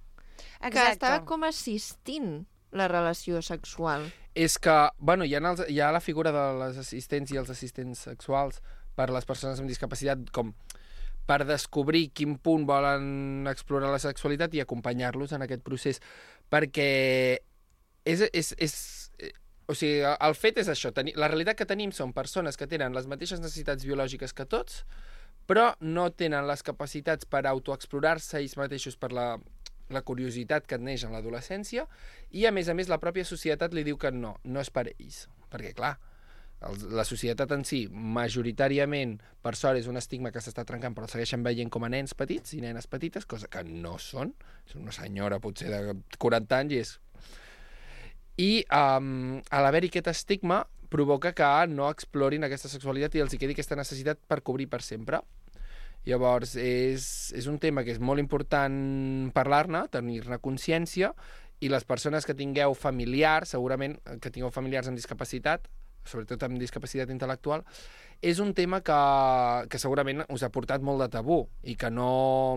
que estava com assistint la relació sexual. És que, bueno, hi ha la figura de les assistents i els assistents sexuals per les persones amb discapacitat com per descobrir quin punt volen explorar la sexualitat i acompanyar-los en aquest procés. Perquè o sigui, el fet és això. La realitat que tenim són persones que tenen les mateixes necessitats biològiques que tots, però no tenen les capacitats per autoexplorar-se ells mateixos per la curiositat que et neix en l'adolescència i, a més, la pròpia societat li diu que no és per ells. Perquè, clar, la societat en si, majoritàriament, per sort, és un estigma que s'està trencant, però el segueixen veient com a nens petits i nenes petites, cosa que no són. És una senyora, potser, de 40 anys, i a l'haver-hi aquest estigma provoca que no explorin aquesta sexualitat i els hi quedi aquesta necessitat per cobrir per sempre. Llavors, és un tema que és molt important parlar-ne, tenir-ne consciència, i les persones que tingueu familiars, segurament que tingueu familiars amb discapacitat, sobretot amb discapacitat intel·lectual, és un tema que segurament us ha portat molt de tabú i que no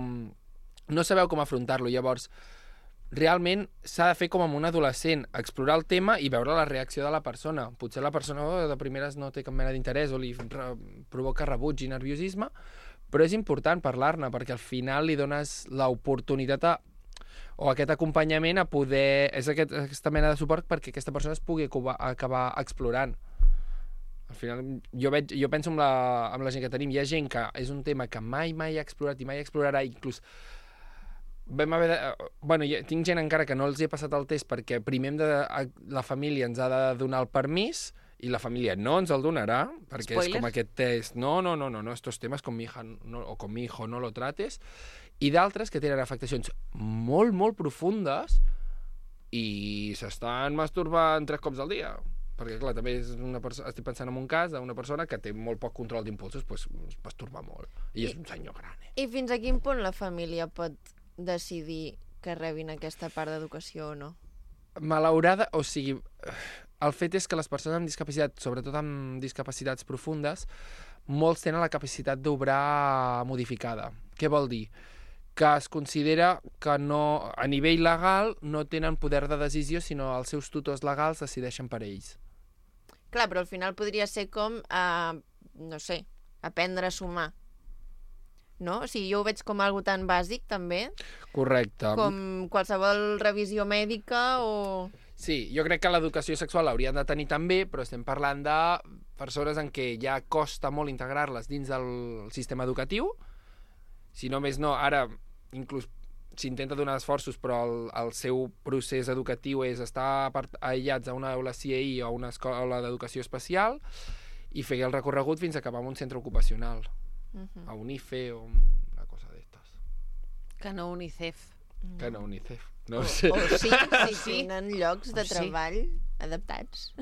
sabeu com afrontar-lo. Llavors, realment s'ha de fer com amb un adolescent, explorar el tema i veure la reacció de la persona. Potser la persona de primeres no té cap mena d'interès o li provoca rebuig i nerviosisme, però és important parlar-ne perquè al final li dones l'oportunitat o aquest acompanyament a poder... És aquesta mena de suport perquè aquesta persona es pugui acabar explorant. Al final, jo penso amb la gent que tenim. Hi ha gent que és un tema que mai ha explorat i mai explorarà, inclús vam haver de... Bueno, tinc gent encara que no els he passat el test perquè primer la família ens ha de donar el permís i la família no ens el donarà, perquè és com aquest test, no, estos temes con mi hija o con mi hijo no lo trates, i d'altres que tenen afectacions molt, molt profundes i s'estan masturbant 3 cops al dia. Perquè, clar, també estic pensant en un cas d'una persona que té molt poc control d'impulsos, doncs es masturba molt. I és un senyor gran. I fins a quin punt la família pot decidir que rebin aquesta part d'educació o no? Malaurada, o sigui, el fet és que les persones amb discapacitat, sobretot amb discapacitats profundes, molts tenen la capacitat d'obrar modificada. Què vol dir? Que es considera que no, a nivell legal no tenen poder de decisió, sinó els seus tutors legals decideixen per ells. Clar, però al final podria ser com, no sé, aprendre a sumar. No? O sigui, jo ho veig com algo tan bàsic, també. Correcte. Com qualsevol revisió mèdica o... Sí, jo crec que l'educació sexual l'haurien de tenir també, però estem parlant de persones en què ja costa molt integrar-les dins del sistema educatiu. Si no més no, ara inclús s'intenta donar esforços, però el seu procés educatiu és estar aïllats a una aula CIE o a una escola d'educació especial i fer el recorregut fins a acabar en un centre ocupacional, a un IFE o una cosa d'estes. Que no UNICEF. Que no UNICEF. No sé. O sí, si tenen llocs de treball adaptats.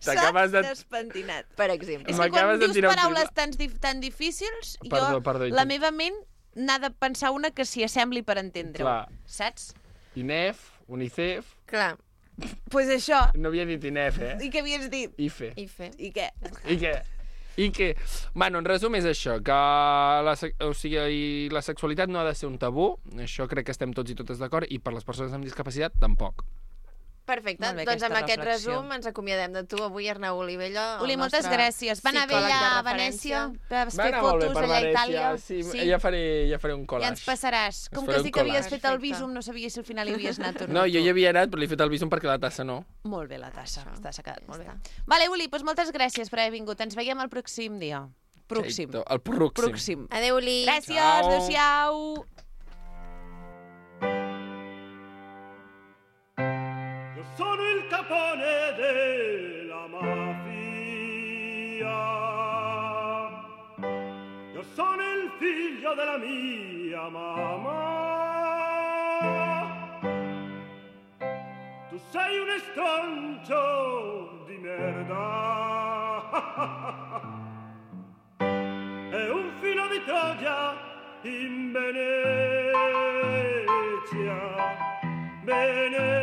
S'ha despentinat. Per exemple. És que quan dius paraules tan difícils, la meva ment n'ha de pensar una que s'hi assembli per entendre-ho. Saps? INEF, UNICEF... Clar. Pues això. No havia dit INEF, I què havies dit? IFE. I què? I que, bueno, en resum és això, que la sexualitat no ha de ser un tabú, això crec que estem tots i totes d'acord, i per les persones amb discapacitat tampoc. Perfecte, Molt bé, doncs amb aquesta aquest reflexió. resum ens acomiadem de tu avui, Arnau Olivella. Uli, moltes gràcies. Va anar bé allà a Venècia, vas fer fotos allà a Itàlia. Sí, ja faré un I collage. ens passaràs. Com que has dit que havies fet el vísum, no sabies si al final hi havies anat o no. No, jo hi havia anat, però li he fet el vísum perquè la tassa no. Molt bé, la tassa. S'ha quedat molt bé. Vale, Uli, doncs moltes gràcies per haver vingut. Ens veiem el pròxim dia. Pròxim. El pròxim. Adéu, Uli. Gràcies, adéu-siau. Sono il capone della mafia. Io sono il figlio della mia mamma. Tu sei un estroncio di merda. E un filo di Troia in Venezia. Venezia,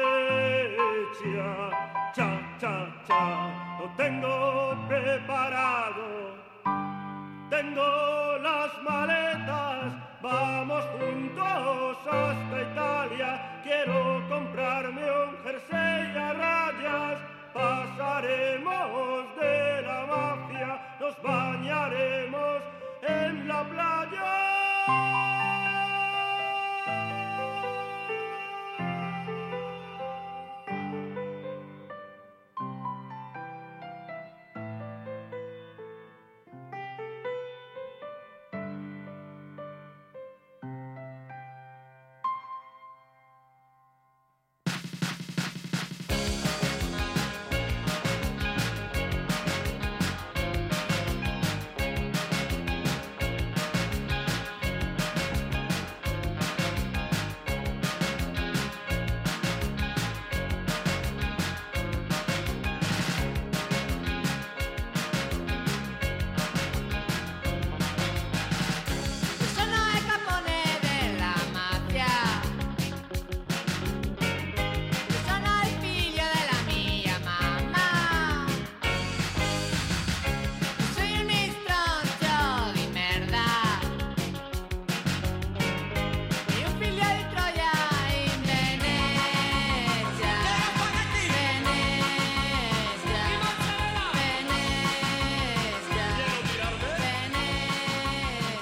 Venezia, cha, cha, cha, lo tengo preparado, tengo las maletas, vamos juntos hasta Italia, quiero comprarme un jersey a rayas, pasaremos de la mafia, nos bañaremos en la playa.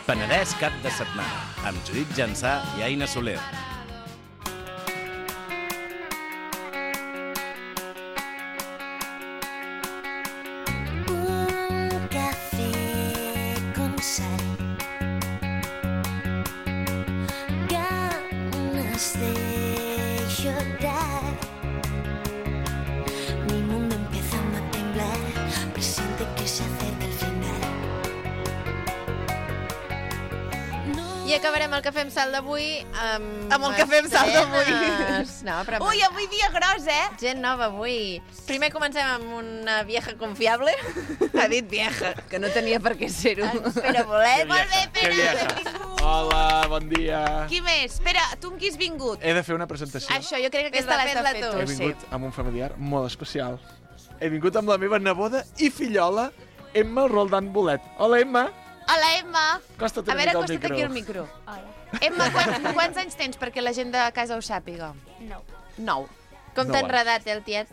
Penedès cap de setmana, amb Judit Jansà i Aina Soler. Un café con sal, ganas de llorar. Mi mundo empieza a temblar, presiente que se acerca el final. I acabarem el Cafè amb Sal d'avui Amb el Cafè amb Sal d'avui. Ui, avui dia gros, Gent nova avui. Primer comencem amb una vieja confiable. Ha dit vieja, que no tenia per què ser-ho. Pere Bolet. Molt bé, Pere. Hola, bon dia. Qui més? Espera, tu amb qui has vingut? He de fer una presentació. Això, jo crec que aquesta l'has de fer tu. He vingut amb un familiar molt especial. He vingut amb la meva neboda i fillola, Emma Roldán Bolet. Hola, Emma. Hola, Emma. Acosta't A una veure, mica al acosta't micro. aquí al micro. Emma, quants anys tens perquè la gent de casa ho sàpiga? 9. Com t'ha 9 enredat, el tiet?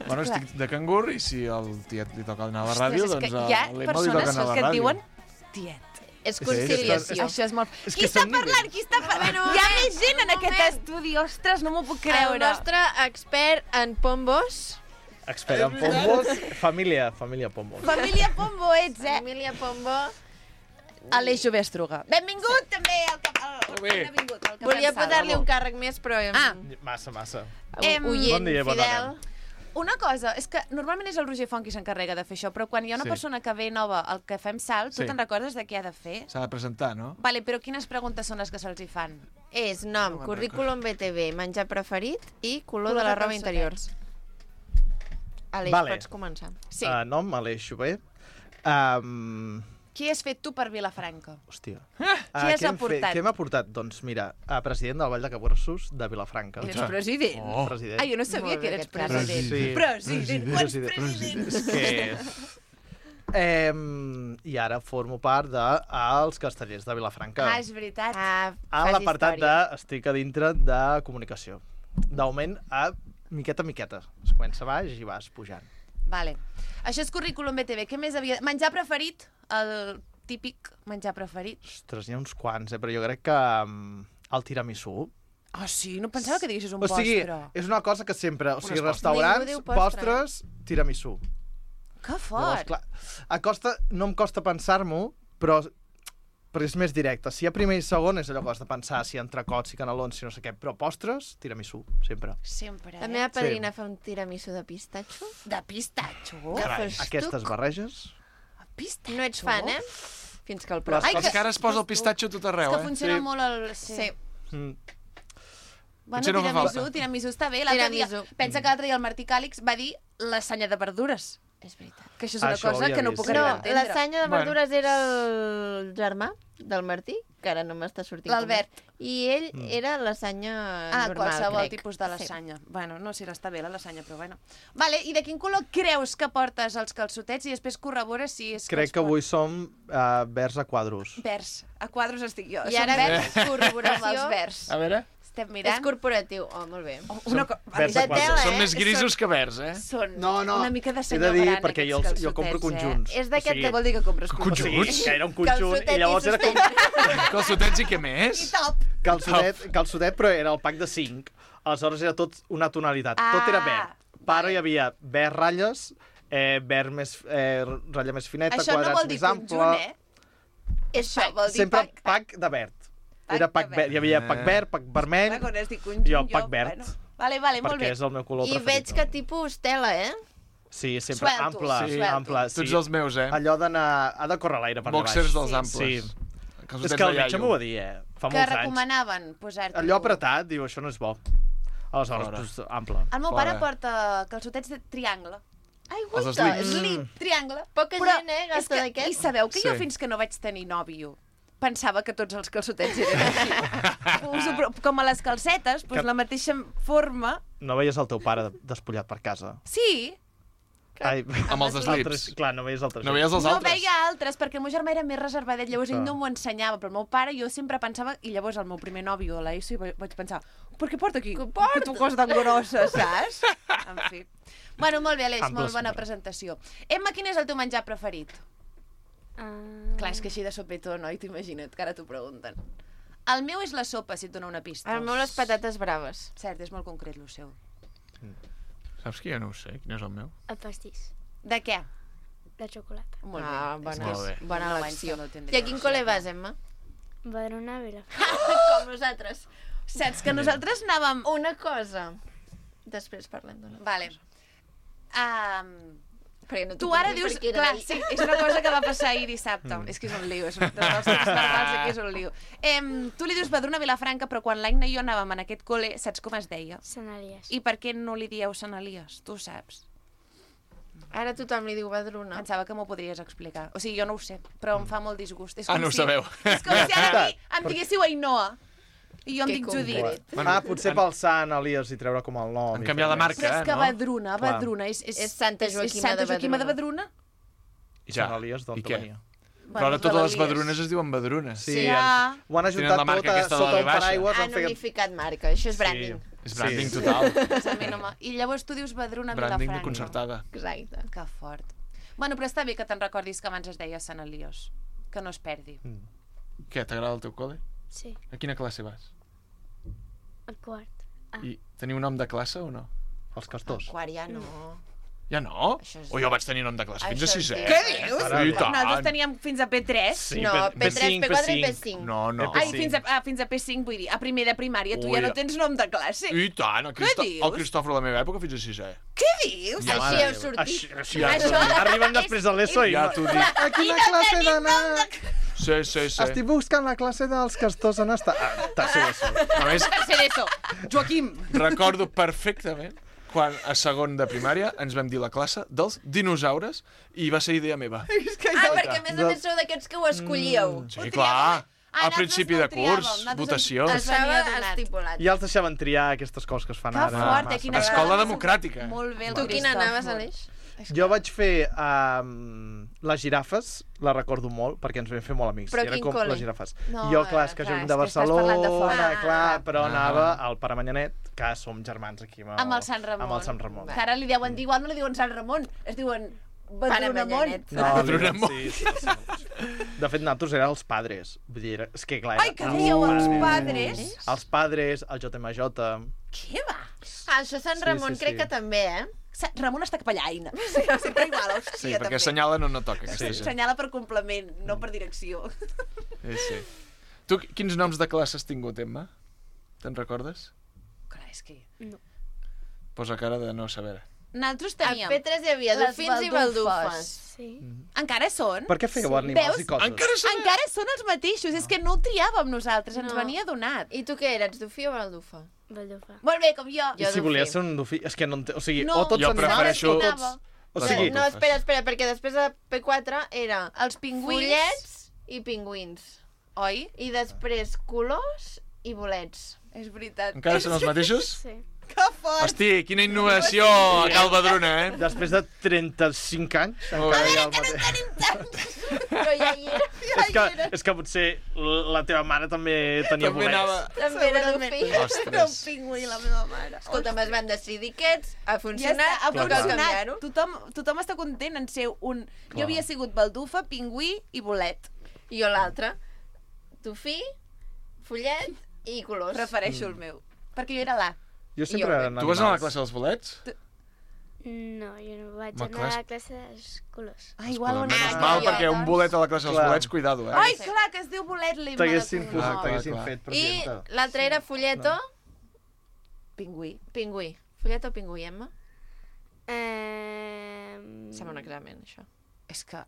Bueno, estic de cangur i si al tiet li toca anar a la ràdio, Ostres, és doncs que a hi ha l'Emma li toca persones anar a la que et ràdio. diuen tiet. És conciliació. Això és molt... És Qui que està són parlant? Qui està parlant? Bueno, Hi ha moment, més gent en aquest moment. estudi. Ostres, no m'ho puc El creure. nostre expert en pombos. Expert en pombos, família pombos. Família Pombo ets, Família Pombo. Aleix Jovestruga. Benvingut també al Cafè. Volia posar-li un càrrec més, però... Massa. Oient, Bon dia, bona fidel. Una cosa, és que normalment és el Roger Font qui s'encarrega de fer això, però quan hi ha una Sí. persona que ve nova al Cafè amb Sal, tu Sí. te'n recordes de què ha de fer? S'ha de presentar, no? Vale, però quines preguntes són les que se'ls hi fan? És nom, currículum BTV, menjar preferit i color de la roba interior. Aleix, Vale. pots començar. Sí. Nom, Aleix Xover. Qui has fet tu per Vilafranca? Hòstia. Qui has aportat? Què m'ha portat? Doncs mira, president del Vall de Caborsos de Vilafranca. Eres president? Oh. President. Ah, jo no sabia Molt bé, que eres aquest president. Sí. President, quants presidents? És que... I ara formo part dels Castellers de Vilafranca. És veritat. A l'apartat de estic a dintre de comunicació. D'augment a miqueta a miqueta. Es comença baix i vas pujant. Vale. Això és currículum BTV. Què més havia... Menjar preferit? El típic menjar preferit. Ostres, n'hi ha uns quants, però jo crec que el tiramisú... Ah, sí? No pensava que diguessis un postre. O sigui, és una cosa que sempre... O sigui, restaurants, postres, tiramisú. Que fort! Llavors, clar, no em costa pensar-m'ho, però és més directe. Si hi ha primer i segon és allò que has de pensar, si entrecots, si canelons, si no sé què, però postres, tiramisú, sempre. Sempre, La meva padrina fa un tiramisú de pistatxo. De pistatxo? Carai, aquestes barreges... Pistatxo? No ets fan, Fins que el proves. És que ara es posa el pistatxo tot arreu, És que funciona molt el... Sí. Bueno, tiramisú està bé. Pensa que l'altre dia el Martí Càlix va dir lasanya de verdures. És veritat. Que això és una cosa que no puc arribar a entendre. No, lasanya de verdures era el germà del Martí, que ara no m'està sortint. L'Albert. I ell era lasanya normal, qualsevol tipus de lasanya. Bueno, no sé si està bé la lasanya, però bueno. Vale, i de quin color creus que portes els calçotets i després corrobores si és... Crec que avui som verds a quadros. Verds. A quadros estic jo. I ara corroboració amb els verds. A veure... Estem mirant. És corporatiu. Oh, molt bé. Són més grisos que verds, Són una mica de senyor gran, he de dir, perquè jo compro conjunts. És d'aquest... Què vol dir que compres conjunts? Que era un conjunt i llavors era com... Calçotets i què més? I top. Calçotet, però era el pack de 5. Aleshores era tot una tonalitat. Tot era verd. Però hi havia verd ratlles, verd més ratlla més fineta, quadrats més ample... Això no vol dir conjunt, Això vol dir sempre pack de verd. Era pack verd. Hi havia pack verd, pack vermell i el pack verd. Vale, molt bé. Perquè és el meu color preferit. I veig que tipus tela, Sí, sempre ample. Tots els meus, Allò d'anar... Ha de córrer l'aire per baix. Boxers dels amples. És que el metge m'ho va dir, Fa molts anys. Que recomanaven posar-t'ho... Allò apretat, diu, això no és bo. Aleshores, ample. El meu pare porta calçotets de triangle. Ai, gusta, slip, triangle. Poca gent, gasta d'aquest. I sabeu que jo fins que no vaig tenir nòvio pensava que tots els calçotets eren així. Com a les calcetes, la mateixa forma... No veies el teu pare despullat per casa? Sí. Amb els slips. Clar, no veies els altres. No veies els altres? No veia altres, perquè el meu germà era més reservadet, llavors ell no m'ho ensenyava, però el meu pare jo sempre pensava, i llavors el meu primer nòvio a l'ESO vaig pensar, per què porta aquí? Que tu cosa tan grossa, saps? En fi. Bueno, molt bé, Aleix, molt bona presentació. Emma, quin és el teu menjar preferit? Clar, és que així de sopetó, no? I t'imagina't que ara t'ho pregunten. El meu és la sopa, si et dona una pista. El meu les patates braves. Cert, és molt concret, el seu. Saps que jo no ho sé? Quin és el meu? El pastís. De què? De xocolata. Molt bé. Bona elecció. I a quin col·le vas, Emma? Badalona, Vilafranca. Com nosaltres. Saps que nosaltres anàvem... Una cosa. Després parlem d'una cosa. Vale. No tu ara dius... Clar, sí, és una cosa que va passar ahir dissabte. És que és un lío, és un dels temps verbals, que és un lío. Tu li dius Badalona, Vilafranca, però quan l'Aina i jo anàvem en aquest col·le, saps com es deia? Sant Elies. I per què no li dieu Sant Elies? Tu saps. Ara tothom li diu Badalona. Pensava que m'ho podries explicar. O sigui, jo no ho sé, però em fa molt disgust. No ho sabeu. És com si ara em diguéssiu Ainhoa. I jo em dic Judit. Potser pel Sant Elies i treure com el nom. Han canviat de marca, Però és que Badalona és Santa Joaquima de Badalona. I Sant Elies d'on venia. Però ara totes les badrunes es diuen badrunes. Sí, ho han ajuntat tot sota un paraigües. Han unificat marca, això és branding. És branding total. I llavors tu dius Badalona, Vilafranca. Branding de concertada. Exacte. Que fort. Bueno, però està bé que te'n recordis que abans es deia Sant Elies. Que no es perdi. Què, t'agrada el teu col·le? Sí. A quina classe vas? El quart. I teniu nom de classe o no? Els castors. El quart ja no. Ja no? O jo vaig tenir nom de classe fins a 6è. Què dius? Nosaltres teníem fins a P3. No, P3, P4 i P5. No. Ai, fins a P5, vull dir, a primer de primària tu ja no tens nom de classe. I tant, el Cristòfor de la meva època fins a 6è. Què dius? Així heu sortit. Arriben després de l'ESO i... Ja t'ho dic. A quina classe d'anar? Sí. Estic buscant la classe dels castors on està. Tercer d'ESO. Tercer d'ESO. Joaquim. Recordo perfectament quan a segon de primària ens vam dir la classe dels dinosaures i va ser idea meva. Perquè a més sou d'aquests que ho escollíeu. Sí, clar. Al principi de curs, votació. Estava estipulat. I els deixaven triar aquestes coses que es fan ara. Que fort, quina escola democràtica. Molt bé, el Tu quina anaves, Aleix? Jo vaig fer les girafes, la recordo molt, perquè ens vam fer molt amics. Però I era quin com col·le? les girafes. No, Jo, clar, és que clar, soc és de que estàs parlant de Barcelona, fora. clar, però anava al Pare Manyanet, que som germans aquí Amb el Sant Ramon. Amb el Sant Ramon. Que ara li deuen dir, igual no li diuen Sant Ramon, es diuen Badrunamont. Manyanet. No, sí. De fet, nosaltres érem els padres. Vull dir, és que clar... Ai, que dieu els padres? Els padres, el JMJ... Què va? Això Sant Ramon crec que també, Ramon està capellaina. Sempre igual, hòstia, Sí, perquè també. assenyala no toca. aquesta gent. Assenyala per complement, no per direcció. Sí. Tu quins noms de classe has tingut, Emma? Te'n recordes? Clar, és que... No. Posa cara de no saber. Nosaltres A teníem... P3 hi havia les dofins i baldufes. Sí. Encara són? Per què fèieu animals Veus? i coses? Encara són els mateixos, és que no ho triàvem nosaltres, ens venia donat. I tu què eres, dofí o baldufa? Baldufa. Molt bé, com jo. I si volies ser un dofí... És que no entenc... O sigui, No, o tots jo animals prefereixo- o tots... O sigui, No, espera, perquè després de P4 era Els pingüins. follets i pingüins. Oi? I després colors i bolets. És veritat. Encara són els mateixos? Sí. Que fort! Hosti, quina innovació a Cal Badruna, Després de 35 anys... Molt encara bé. hi ha el mateix. Però ja hi era. És que potser la teva mare també tenia També bolets. També era dofí. Era un pingüí, la meva mare. Escolta'm, es van decidir aquests, ha Ja funcionat, està, ha no cal funcionat. canviar-ho. Tothom està content en ser un... Clar. Jo havia sigut baldufa, pingüí i bolet. I jo l'altre, dofí, follet i colors. Prefereixo el meu. Perquè jo era l'A. Jo sempre era Tu vas anar a la classe dels bolets? No, jo no vaig Ma, anar clar, a la classe dels colors. Ah, igual on Menys mal, perquè un bolet a la classe dels Clar. bolets, cuidado, Ai, clar, que es diu bolet l'Emma. T'haguessin Clar, t'haguessin clar. fet I presidenta. l'altre era folleto, Pingüí. pingüí. Folleto o pingüí, Emma? Mm. Sembla un examen, això. És que...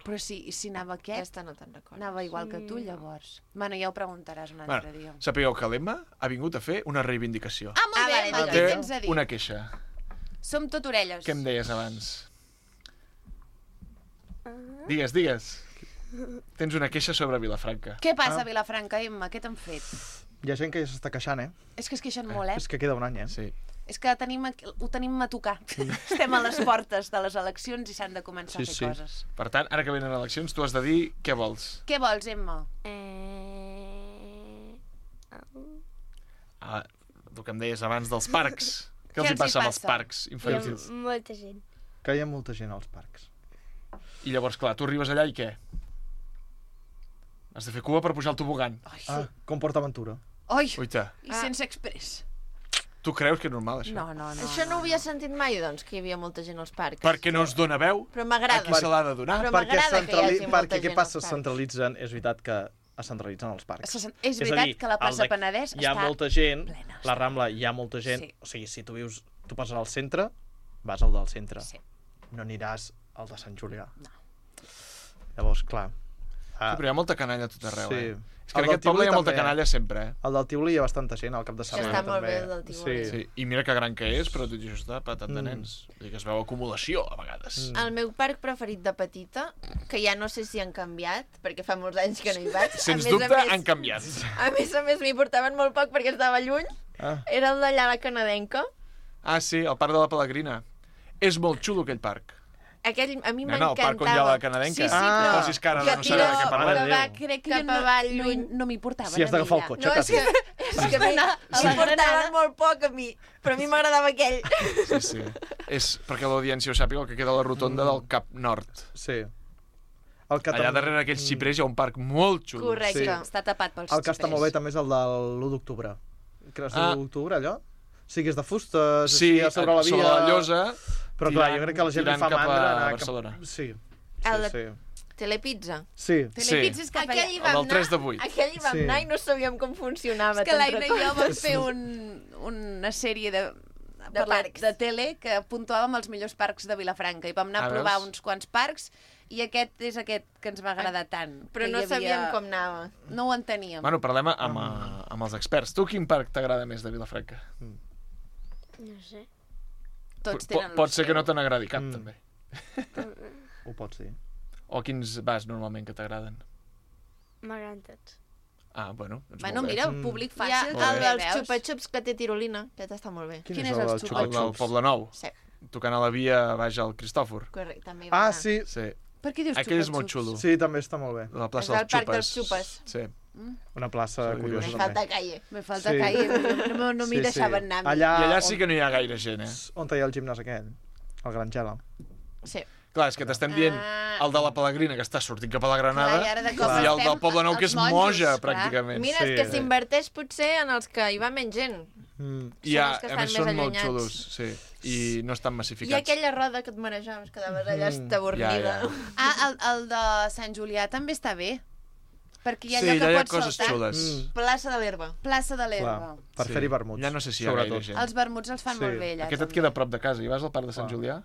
Però si anava aquest, Aquesta no te'n recordes. anava igual que tu, llavors. Bueno, ja ho preguntaràs un altre dia. Bueno, sapigueu que l'Emma ha vingut a fer una reivindicació. Ah, molt bé, vale, Emma, vale. què tens a dir? Una queixa. Som tot orelles. Què em deies abans? Digues. Tens una queixa sobre Vilafranca. Què passa a Vilafranca, Emma? Què t'han fet? Hi ha gent que ja s'està queixant, És que es queixen molt, És que queda un any, Sí. És que ho tenim a tocar. Estem a les portes de les eleccions i s'han de començar a fer coses. Per tant, ara que venen eleccions, tu has de dir què vols. Què vols, Emma? Ah, el que em deies abans dels parcs. Què els Què hi passa amb els passa? parcs Hi ha infantils? molta gent. Que hi ha molta gent als parcs. I llavors, clar, tu arribes allà i què? Has de fer cua per pujar al tobogan. Ah, com PortAventura. Oi, Uita, i sense express. tu creus que és normal, això? No. Això no ho havia sentit mai, doncs, que hi havia molta gent als parcs. Perquè no es dona veu Però a m'agrada. qui se l'ha de donar. Però Perquè, m'agrada que hi hagi molta perquè què gent passa? als Es parcs. centralitzen, és veritat que es centralitzen els parcs. És veritat que la plaça Penedès hi ha està molta gent, plena, la Rambla hi ha molta gent, Sí. o sigui, si tu vius, tu passes al centre, vas al del centre. Sí. No aniràs al de Sant Julià. No. Llavors, clar... Sí, però hi ha molta canalla a tot arreu, Sí. És que El en aquest del poble hi ha Tívoli molta també. canalla sempre, Al del Tívoli hi ha bastanta gent, al cap de setmana està molt també. bé, el del Tívoli. Sí. I mira que gran que és, però tot i això està patat de nens. Vull dir que es veu acumulació, a vegades. El meu parc preferit de petita, que ja no sé si han canviat, perquè fa molts anys que no hi vaig. Sens a dubte, més, han canviat. A més, m'hi portaven molt poc perquè estava lluny. Era el d'allà a la Canadenca. Ah, sí, el parc de la Pelegrina. És molt xulo, aquell parc. Aquell, a mi Nena, el parc on hi ha m'encantava. la Canadenca. Sí, però- Posis cara de Que no saber de què parlem. que va Crec que cap jo avall lluny. no m'hi portaven Si has d'agafar el cotxe, No, és quasi. que m'hi portaven molt poc a mi, però a mi m'agradava aquell. Sí. És perquè l'audiència ho sàpiga, el que queda a la rotonda del Cap Nord. Sí. Allà darrere aquells xiprers hi ha un parc molt xulo. Correcte. Sí. Està tapat pels El que està xiprers. molt bé també és el de l'1 d'octubre. Creus que Ah. l'1 d'octubre, allò? Sí que és de fustes, Sí, així, a sobre la via... sobre la llosa, Però clar, tirant- jo crec que la gent li tirant fa cap a mandra anar Barcelona. Sí, El de sí. Telepizza. Sí. Telepizza és cap allà. Aquell hi El vam del 3 de anar, 8. aquell hi vam Sí. anar i no sabíem com funcionava. És que te'n l'Aina i jo vam recordes? fer una sèrie de parcs. de tele que puntuàvem els millors parcs de Vilafranca i vam anar a A provar veus? uns quants parcs i aquest és aquest que ens va agradar tant. Però que no hi havia- sabíem com anava. No ho enteníem. Bueno, parlem amb els experts. Tu quin parc t'agrada més de Vilafranca? No sé. Tots tenen Pot ser que no te n'agradi cap, Mm. també. Ho pots dir. O quins vas normalment que t'agraden? M'agraden tots. Ah, bueno, doncs Bueno, molt bé. mira, públic Hi ha fàcil. el també, dels veus? xupa-xups que té tirolina, aquest està molt bé. Quin és el El del Poble Nou. Sí. tocant a la via baix al Cristòfor. Correcte, també Ah, sí. Sí. Per què dius Aquell és molt xupa-xups? xulo. Sí, també està molt bé. La plaça És dels el parc xupes. dels xupes. Sí. Una plaça Sí, curiosa. Me falta calle. Me falta calle, no m'hi deixaven anar. I allà sí que no hi ha gaire gent, On hi ha el gimnàs aquell? El Gran Gela. Sí. Clar, és que t'estem dient el de la Pelegrina, que està sortint cap a la Granada, Clar, i ara de cop i el estem del Poble Nou, que és als monjos, Moja, clar. pràcticament. Mira, és que s'inverteix potser en els que hi va menys gent. I els que a més estan són més molt allunyats. xulos, sí, i no estan I massificats. aquella roda que et marejaves, quedaves allà estabornida. El de Sant Julià també està bé. Perquè hi ha Sí, allò que allà hi ha pots coses saltar. xules. Plaça de l'Herba. Plaça de l'Herba. Per fer-hi vermuts. Ja no sé si hi ha gaire gent. Els vermuts els fan molt bé allà. Aquest et queda a prop de casa. Hi vas al parc de Sant Julià?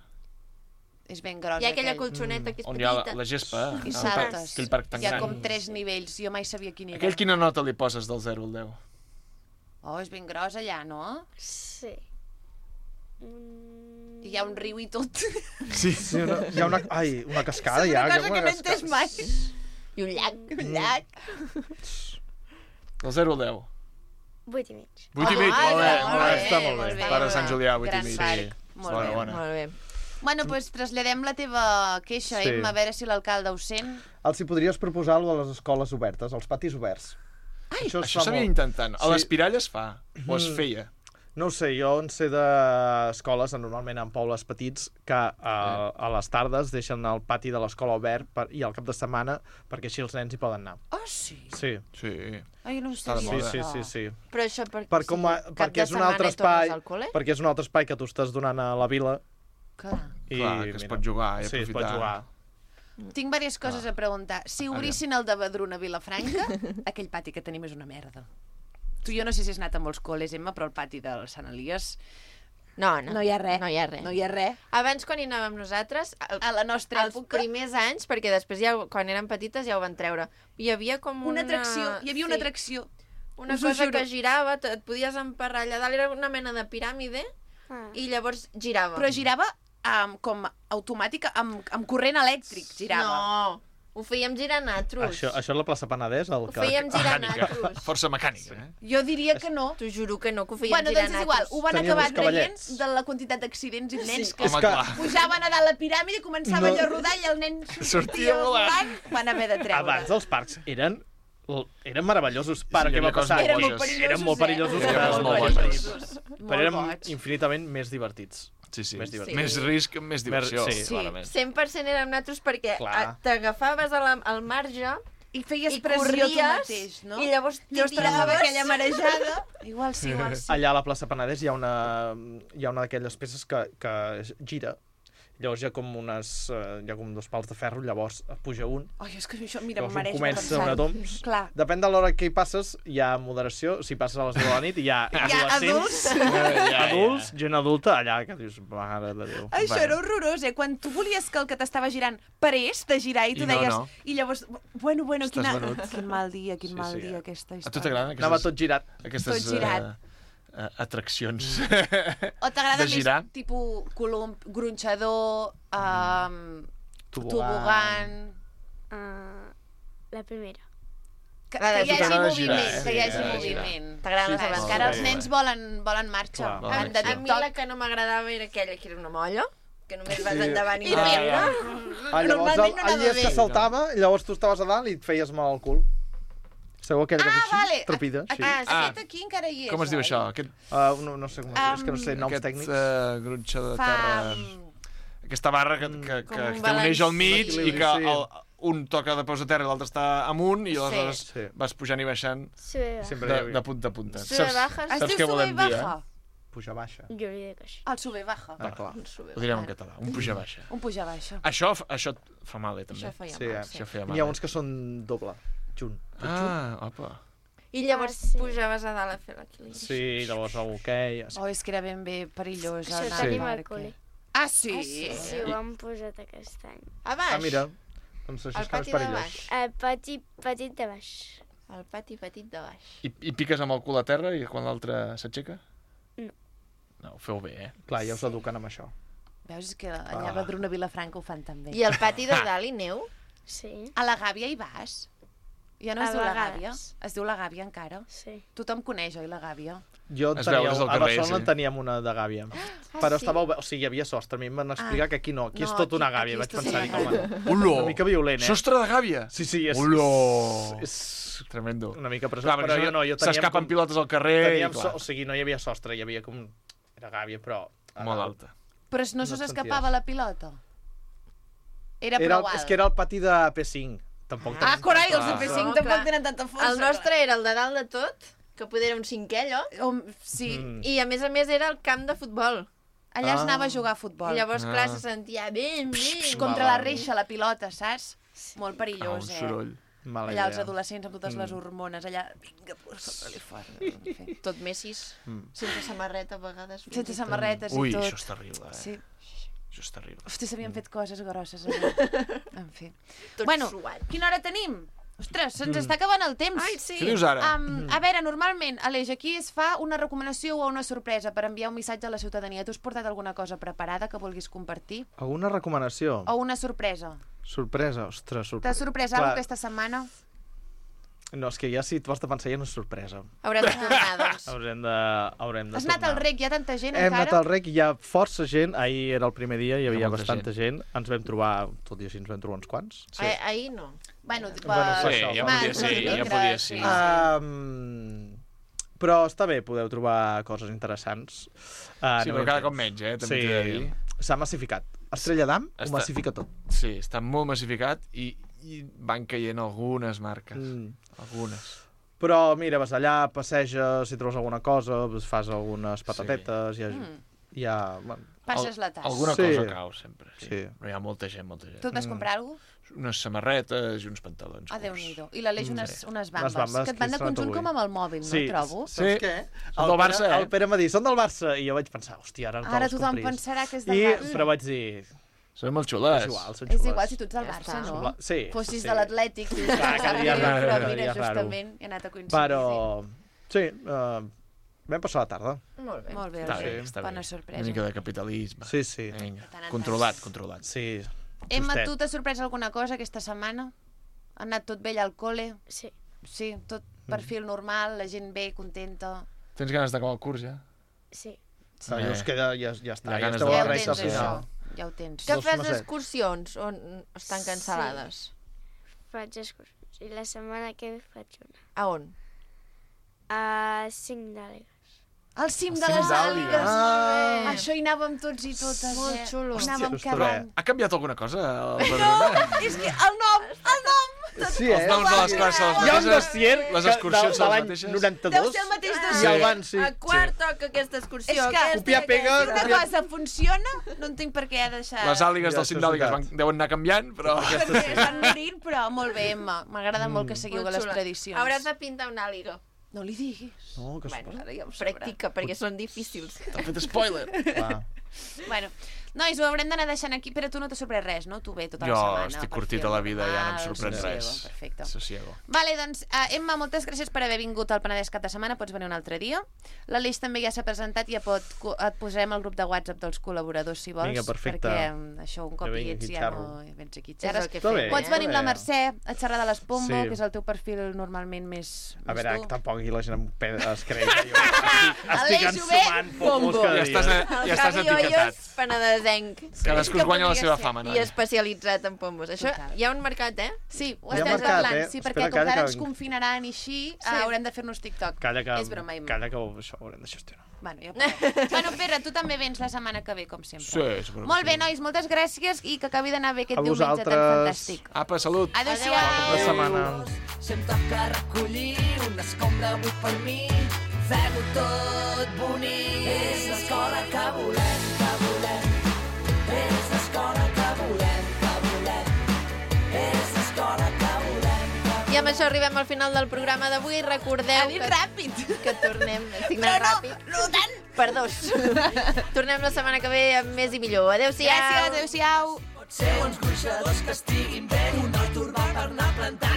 És ben gros. Hi ha aquella colxoneta que és On hi ha petita. la gespa. I el saltes. parc- Aquell parc tan Hi ha gran. com 3 nivells. Jo mai sabia quin era. Aquell quina nota li poses del 0 al 10? Oh, és ben gros allà, no? Sí. Hi ha un riu i tot. Sí, hi ha una cascada. És hi ha, una hi ha cosa que no he entès mai. I un llac. Un llac. Del 0 al 10. 8 i mig. 8 i mig, molt bé, molt bé. Està molt bé. Parc de Sant Julià, 8 i Gran mig. parc. Molt bé. Bona. Molt bé. Bueno, doncs traslladem la teva queixa, Sí. Emma, a veure si l'alcalde ho sent. Els hi podries proposar a les escoles obertes, als patis oberts. Ai, Això s'havia intentant. A les Piralles es fa, o es feia. No ho sé, jo en sé d'escoles, normalment en pobles petits, que a les tardes deixen el pati de l'escola obert i al cap de setmana perquè així els nens hi poden anar. Oh, sí? Sí. Sí. Ai, no ho Està de sabia. moda. Sí. Però això Perquè és un altre espai, perquè és un altre espai que tu estàs donant a la vila. Clar. Clar, que es pot jugar i Sí, es pot aprofitar. jugar. Tinc diverses coses a preguntar. Si obrissin el de Badruna a Vilafranca, aquell pati que tenim és una merda. Tu jo no sé si has anat a molts col·les, Emma, però el pati de Sant Elies... No hi ha res. No hi ha res. No hi ha res. Abans, quan hi anàvem nosaltres, A la nostra els època... primers anys, perquè després ja, quan eren petites ja ho van treure, hi havia com Una atracció. Hi havia una sí, atracció. una Us ho cosa juro. que girava, et podies emparrar allà dalt, era una mena de piràmide, i llavors girava. Però girava com automàtica, amb corrent elèctric, girava. No, ho fèiem girar natros. Això és la plaça Penedès? Ho fèiem girar natros. Força mecànica, eh? Jo diria que no. T'ho juro que no, que ho fèiem Bueno, girar doncs és igual, natros. ho van Teníem acabar uns cavallets. traient de la quantitat d'accidents i nens Sí. que Home, clar. pujaven a dalt la piràmide, començava allò a rodar i el nen sortia volant, van haver de treure. Abans els parcs eren meravellosos. Per hi què havia va passar? coses molt boges. Eren molt perillosos, Eren molt però boges. eren infinitament més divertits. Sí. Més divertits. Més risc, més diversió, Sí. clarament. 100% érem natros perquè Clar. t'agafaves al marge I feies i pressió tu corries, mateix, no? i llavors Llavors tiraves t'agafava aquella marejada. Igual sí, igual sí. Allà a la plaça Penedès hi ha una d'aquelles peces que gira. Llavors hi ha com dos pals de ferro, llavors puja un. Ai, és que això, mira, Llavors m'ho mereix comença una toms. Clar. Depèn de l'hora que hi passes, hi ha moderació. Si passes a les 10 de la nit, hi ha adolescents, adults, gent adulta, allà, que dius, mare de Déu. Això era horrorós, Quan tu volies que el que t'estava girant parés de girar i tu I no, deies... no. I llavors, bueno, Estàs venut. quin mal dia, quin mal sí. dia, aquesta A història. tu t'agraden Anava tot girat. aquestes Tot girat. atraccions O t'agrada de girar? més tipus colom, gronxador, Tobogan. La primera. que La de hi hagi girar, moviment, que hi hagi girar. moviment. T'agraden les Sí, aventures. encara els nens volen marxa. Clar, volen Van de acció. A mi TikTok. la que no m'agradava era aquella que era una molla, que només vas Sí. endavant i I enrere. Llavors, Normalment no el dia anava que bé. saltava, llavors tu estaves a dalt i et feies mal al cul. Sabeu aquella que fes Vale. així? Trepida, sí. Aquest aquí encara hi és. Com es diu oi? això? Aquest, No sé com es diu, és que no sé noms aquest tècnics. gronxador de Fa... terra... Aquesta barra que un t'uneix al mig balanç. i que Sí. un toca de peus a terra i l'altre està amunt i aleshores Sí. vas pujant i baixant Sube, Sempre hi havia. de punta a punta. Sube, baja. Es saps diu què volem sube dir, baja. Puja baixa. Jo li dic així. El sube baja. Ah, clar. Ho direm en català, un puja baixa. Un puja baixa. Això et fa mal, també. Això feia Sí, mal, Això feia N'hi mal. ha uns que són doble, junt. Ah, opa. I llavors Ah, sí. pujaves a dalt a fer l'equilibri. Sí, llavors el hoquei... Oh, és que era ben bé perillós. Això anar tenim al al parc. col·le. Ah, sí? Sí, ho han posat aquest any. A baix? Ah, mira, doncs això Al és que no és pati de perillós. baix. El petit de baix. El pati petit de baix. I piques amb el cul a terra i quan l'altre s'aixeca? No. No, ho feu bé, eh? Clar, ja us eduquen amb això. Veus, és que allà a Badruna Vilafranca ho fan també. I el pati de dalt i neu? Sí. A la Gàbia hi vas? Ja no es A diu la vegades. Gàbia? Es diu la Gàbia encara? Sí. Tothom coneix, oi, la Gàbia? Jo Es tenia, veu des del a carrer, Barcelona sí. teníem una de gàbia. Però estava obert, o sigui, hi havia sostre. A mi em van explicar que aquí no, aquí és tot una gàbia. Vaig pensar, Olor! una mica violent, Sostre de gàbia! Sí, és... Olor! És tremendo. una mica presó, Clar, però jo no, jo teníem... S'escapen pilotes al carrer i, Teníem clar, o sigui, no hi havia sostre, hi havia com... Era gàbia, però... molt alta. Però no se s'escapava la pilota? Era prou alt. És que era el pati de P5. Tampoc Ah, carai, els de tanta- P5 No, tampoc clar. tenen tanta força. El nostre era el de dalt de tot, que poder era un cinquè, allò. Sí. I a més era el camp de futbol. Allà es anava a jugar a futbol. I llavors, clar, se sentia ben. Contra la reixa, la pilota, saps? Molt perillós, un soroll. Mala Allà els idea. adolescents amb totes les hormones, allà, vinga, posa-li fort. En fi. Tot messis, sense samarreta a vegades. Sense samarretes Ui, i tot. això és terrible, Sí. Això és terrible. Hosti, s'havien fet coses grosses allà. En fi. Tot Bueno, suat. quina hora tenim? Ostres, se'ns està acabant el temps. Ai, sí. Què dius ara? A veure, normalment, Aleix, aquí es fa una recomanació o una sorpresa per enviar un missatge a la ciutadania. Tu has portat alguna cosa preparada que vulguis compartir? Alguna recomanació? O una sorpresa? Sorpresa, ostres, sorpresa. T'has sorprès alguna aquesta setmana? No, és que ja si t'ho has de pensar ja no és sorpresa. Haurem de tornar, doncs. Haurem de Has anat tornar. al rec? Hi ha tanta gent Hem encara? anat al rec, hi ha força gent. Ahir era el primer dia, hi havia molta bastanta gent. Ens vam trobar, tot i així ens vam trobar uns quants. Sí. Ahir no. Bueno, Sí, ja podia ser, ja podia ser. Però està bé, podeu trobar coses interessants. Sí, però cada cop menys, també t'he de dir. S'ha massificat. Estrella d'Am ho Està- massifica tot. Sí, està molt massificat i van caient algunes marques. Algunes. Però mira, vas allà, passeges, si trobes alguna cosa, fas algunes patatetes, hi ha... Bueno, Passes la tassa. Alguna cosa cau sempre, sí. Sí. Però hi ha molta gent, molta gent. Tu et vas comprar alguna cosa? Unes samarretes i uns pantalons. Ah, Déu-n'hi-do. I l'Aleix unes bambes, bambes que et van de que he estrenat conjunt avui. com amb el mòbil, Sí, no, trobo? saps què? Són del Barça, El Pere m'ha dit, són del Barça, i jo vaig pensar, hòstia, ara Ara te'ls tothom compris. pensarà que és del I, Barça. però vaig dir... Són molt xules. És igual, són És xules. igual si tu ets del Ja Barça, està. no? Sí, Fossis sí. de l'Atlètic. Clar, cada dia és raro, Però cada dia mira, és raro. justament, he anat a coincidir. Però, sí, vam passar la tarda. Molt bé. Molt bé, Està bé, Aleix. està Bona bé. sorpresa. Una mica de capitalisme. Sí, sí. Vinga. Tant en Controlat, controlat. Sí, Emma, justet. tu t'has sorprès alguna cosa aquesta setmana? Ha anat tot bé allà al col·le? Sí. Sí, tot perfil normal, la gent bé, contenta. Tens ganes d'acabar el curs, ja? Sí. Dius que ja està, ja ganes esteu de- a Ja la ho recta tens, final. això. Ja ho tens. Que Dos fas macets. excursions on estan cancel·lades? Faig excursions. I la setmana que ve faig una. A on? A 5 d'Àlegues. Al cim de cim les d'Àligues. Àligues. Això hi anàvem tots i totes, Molt xulo. Anàvem Hòstia, cada ostres. any. Ha canviat alguna cosa al Badalona? És que el nom! Sí, Els noms de les classes són els Hi ha un mateixes? dossier Les que excursions de són les l'any mateixes? 92. Deu ser el mateix I dossier. el van, sí. A quart toca aquesta excursió. És que aquesta i Copia, pega, aquesta. Una cosa funciona, no entenc per què ha deixat... Les àligues Ja, del això cim és d'àligues veritat. deuen anar canviant, però... Perquè estan morint, però molt bé, Emma. M'agrada molt que seguiu Molt les xula. tradicions. Hauràs de pintar una àliga. No li diguis. No, que Bueno, Ara ja ho sabrà. practica, perquè són difícils. T'ha fet spoiler. Va. Bueno, nois, ho haurem d'anar deixant aquí, però tu no t'ha sorprès res, no? Tu bé, tota Jo la setmana. estic per curtit fer a la vida, ja no em normal, sorprèn sosiego, res. Perfecte. Sosiego. Vale, doncs, Emma, moltes gràcies per haver vingut al Penedès cap de setmana. Pots venir un altre dia. L'Aleix també ja s'ha presentat i ja et posarem al grup de WhatsApp dels col·laboradors, si vols. Vinga, perfecte. Perquè això, un cop Que hi vingui ets, aquí, ja xerro. no vens aquí. És Xerres. el que Està bé. fem. Pots venir amb la Mercè a xerrar de les Pombo, Sí. que és el teu perfil normalment més A veure, dur. tampoc aquí la gent es creu que jo estic Aleix, ho ve, ensumant pomos Pombo. cada Ja dia. estàs Javi etiquetat. Hoyos, penedesenc. Cadascú es guanya la seva fama, I noi. especialitzat en pombos. Això Total. hi ha un mercat, eh? Sí, ho Hi ha estàs mercat, parlant. Sí, Espera, perquè com que calla, ara que ens vinc. confinaran i així, haurem de fer-nos TikTok. Calla que, És broma, Emma. calla que això ho haurem de gestionar. Bueno, ja bueno, Pere, tu també vens la setmana que ve, com sempre. Sí, segur que Molt sí. bé, nois, moltes gràcies i que acabi d'anar bé aquest A diumenge vosaltres. tan fantàstic. Apa, salut. Adéu-siau. Bona setmana. Si em toca recollir una escombra avui per mi, fem-ho tot bonic. És l'escola que volem, que volem. És l'escola que volem, que volem. És l'escola que volem, que I amb això arribem al final del programa d'avui. Recordeu Ha dit ràpid. que tornem... Estic anant ràpid. No tant. Per dos. Tornem la setmana que ve amb més i millor. Adéu-siau. Gràcies, adéu-siau. pot ser uns gruixadors que estiguin bé. Un hort urbà per anar plantant.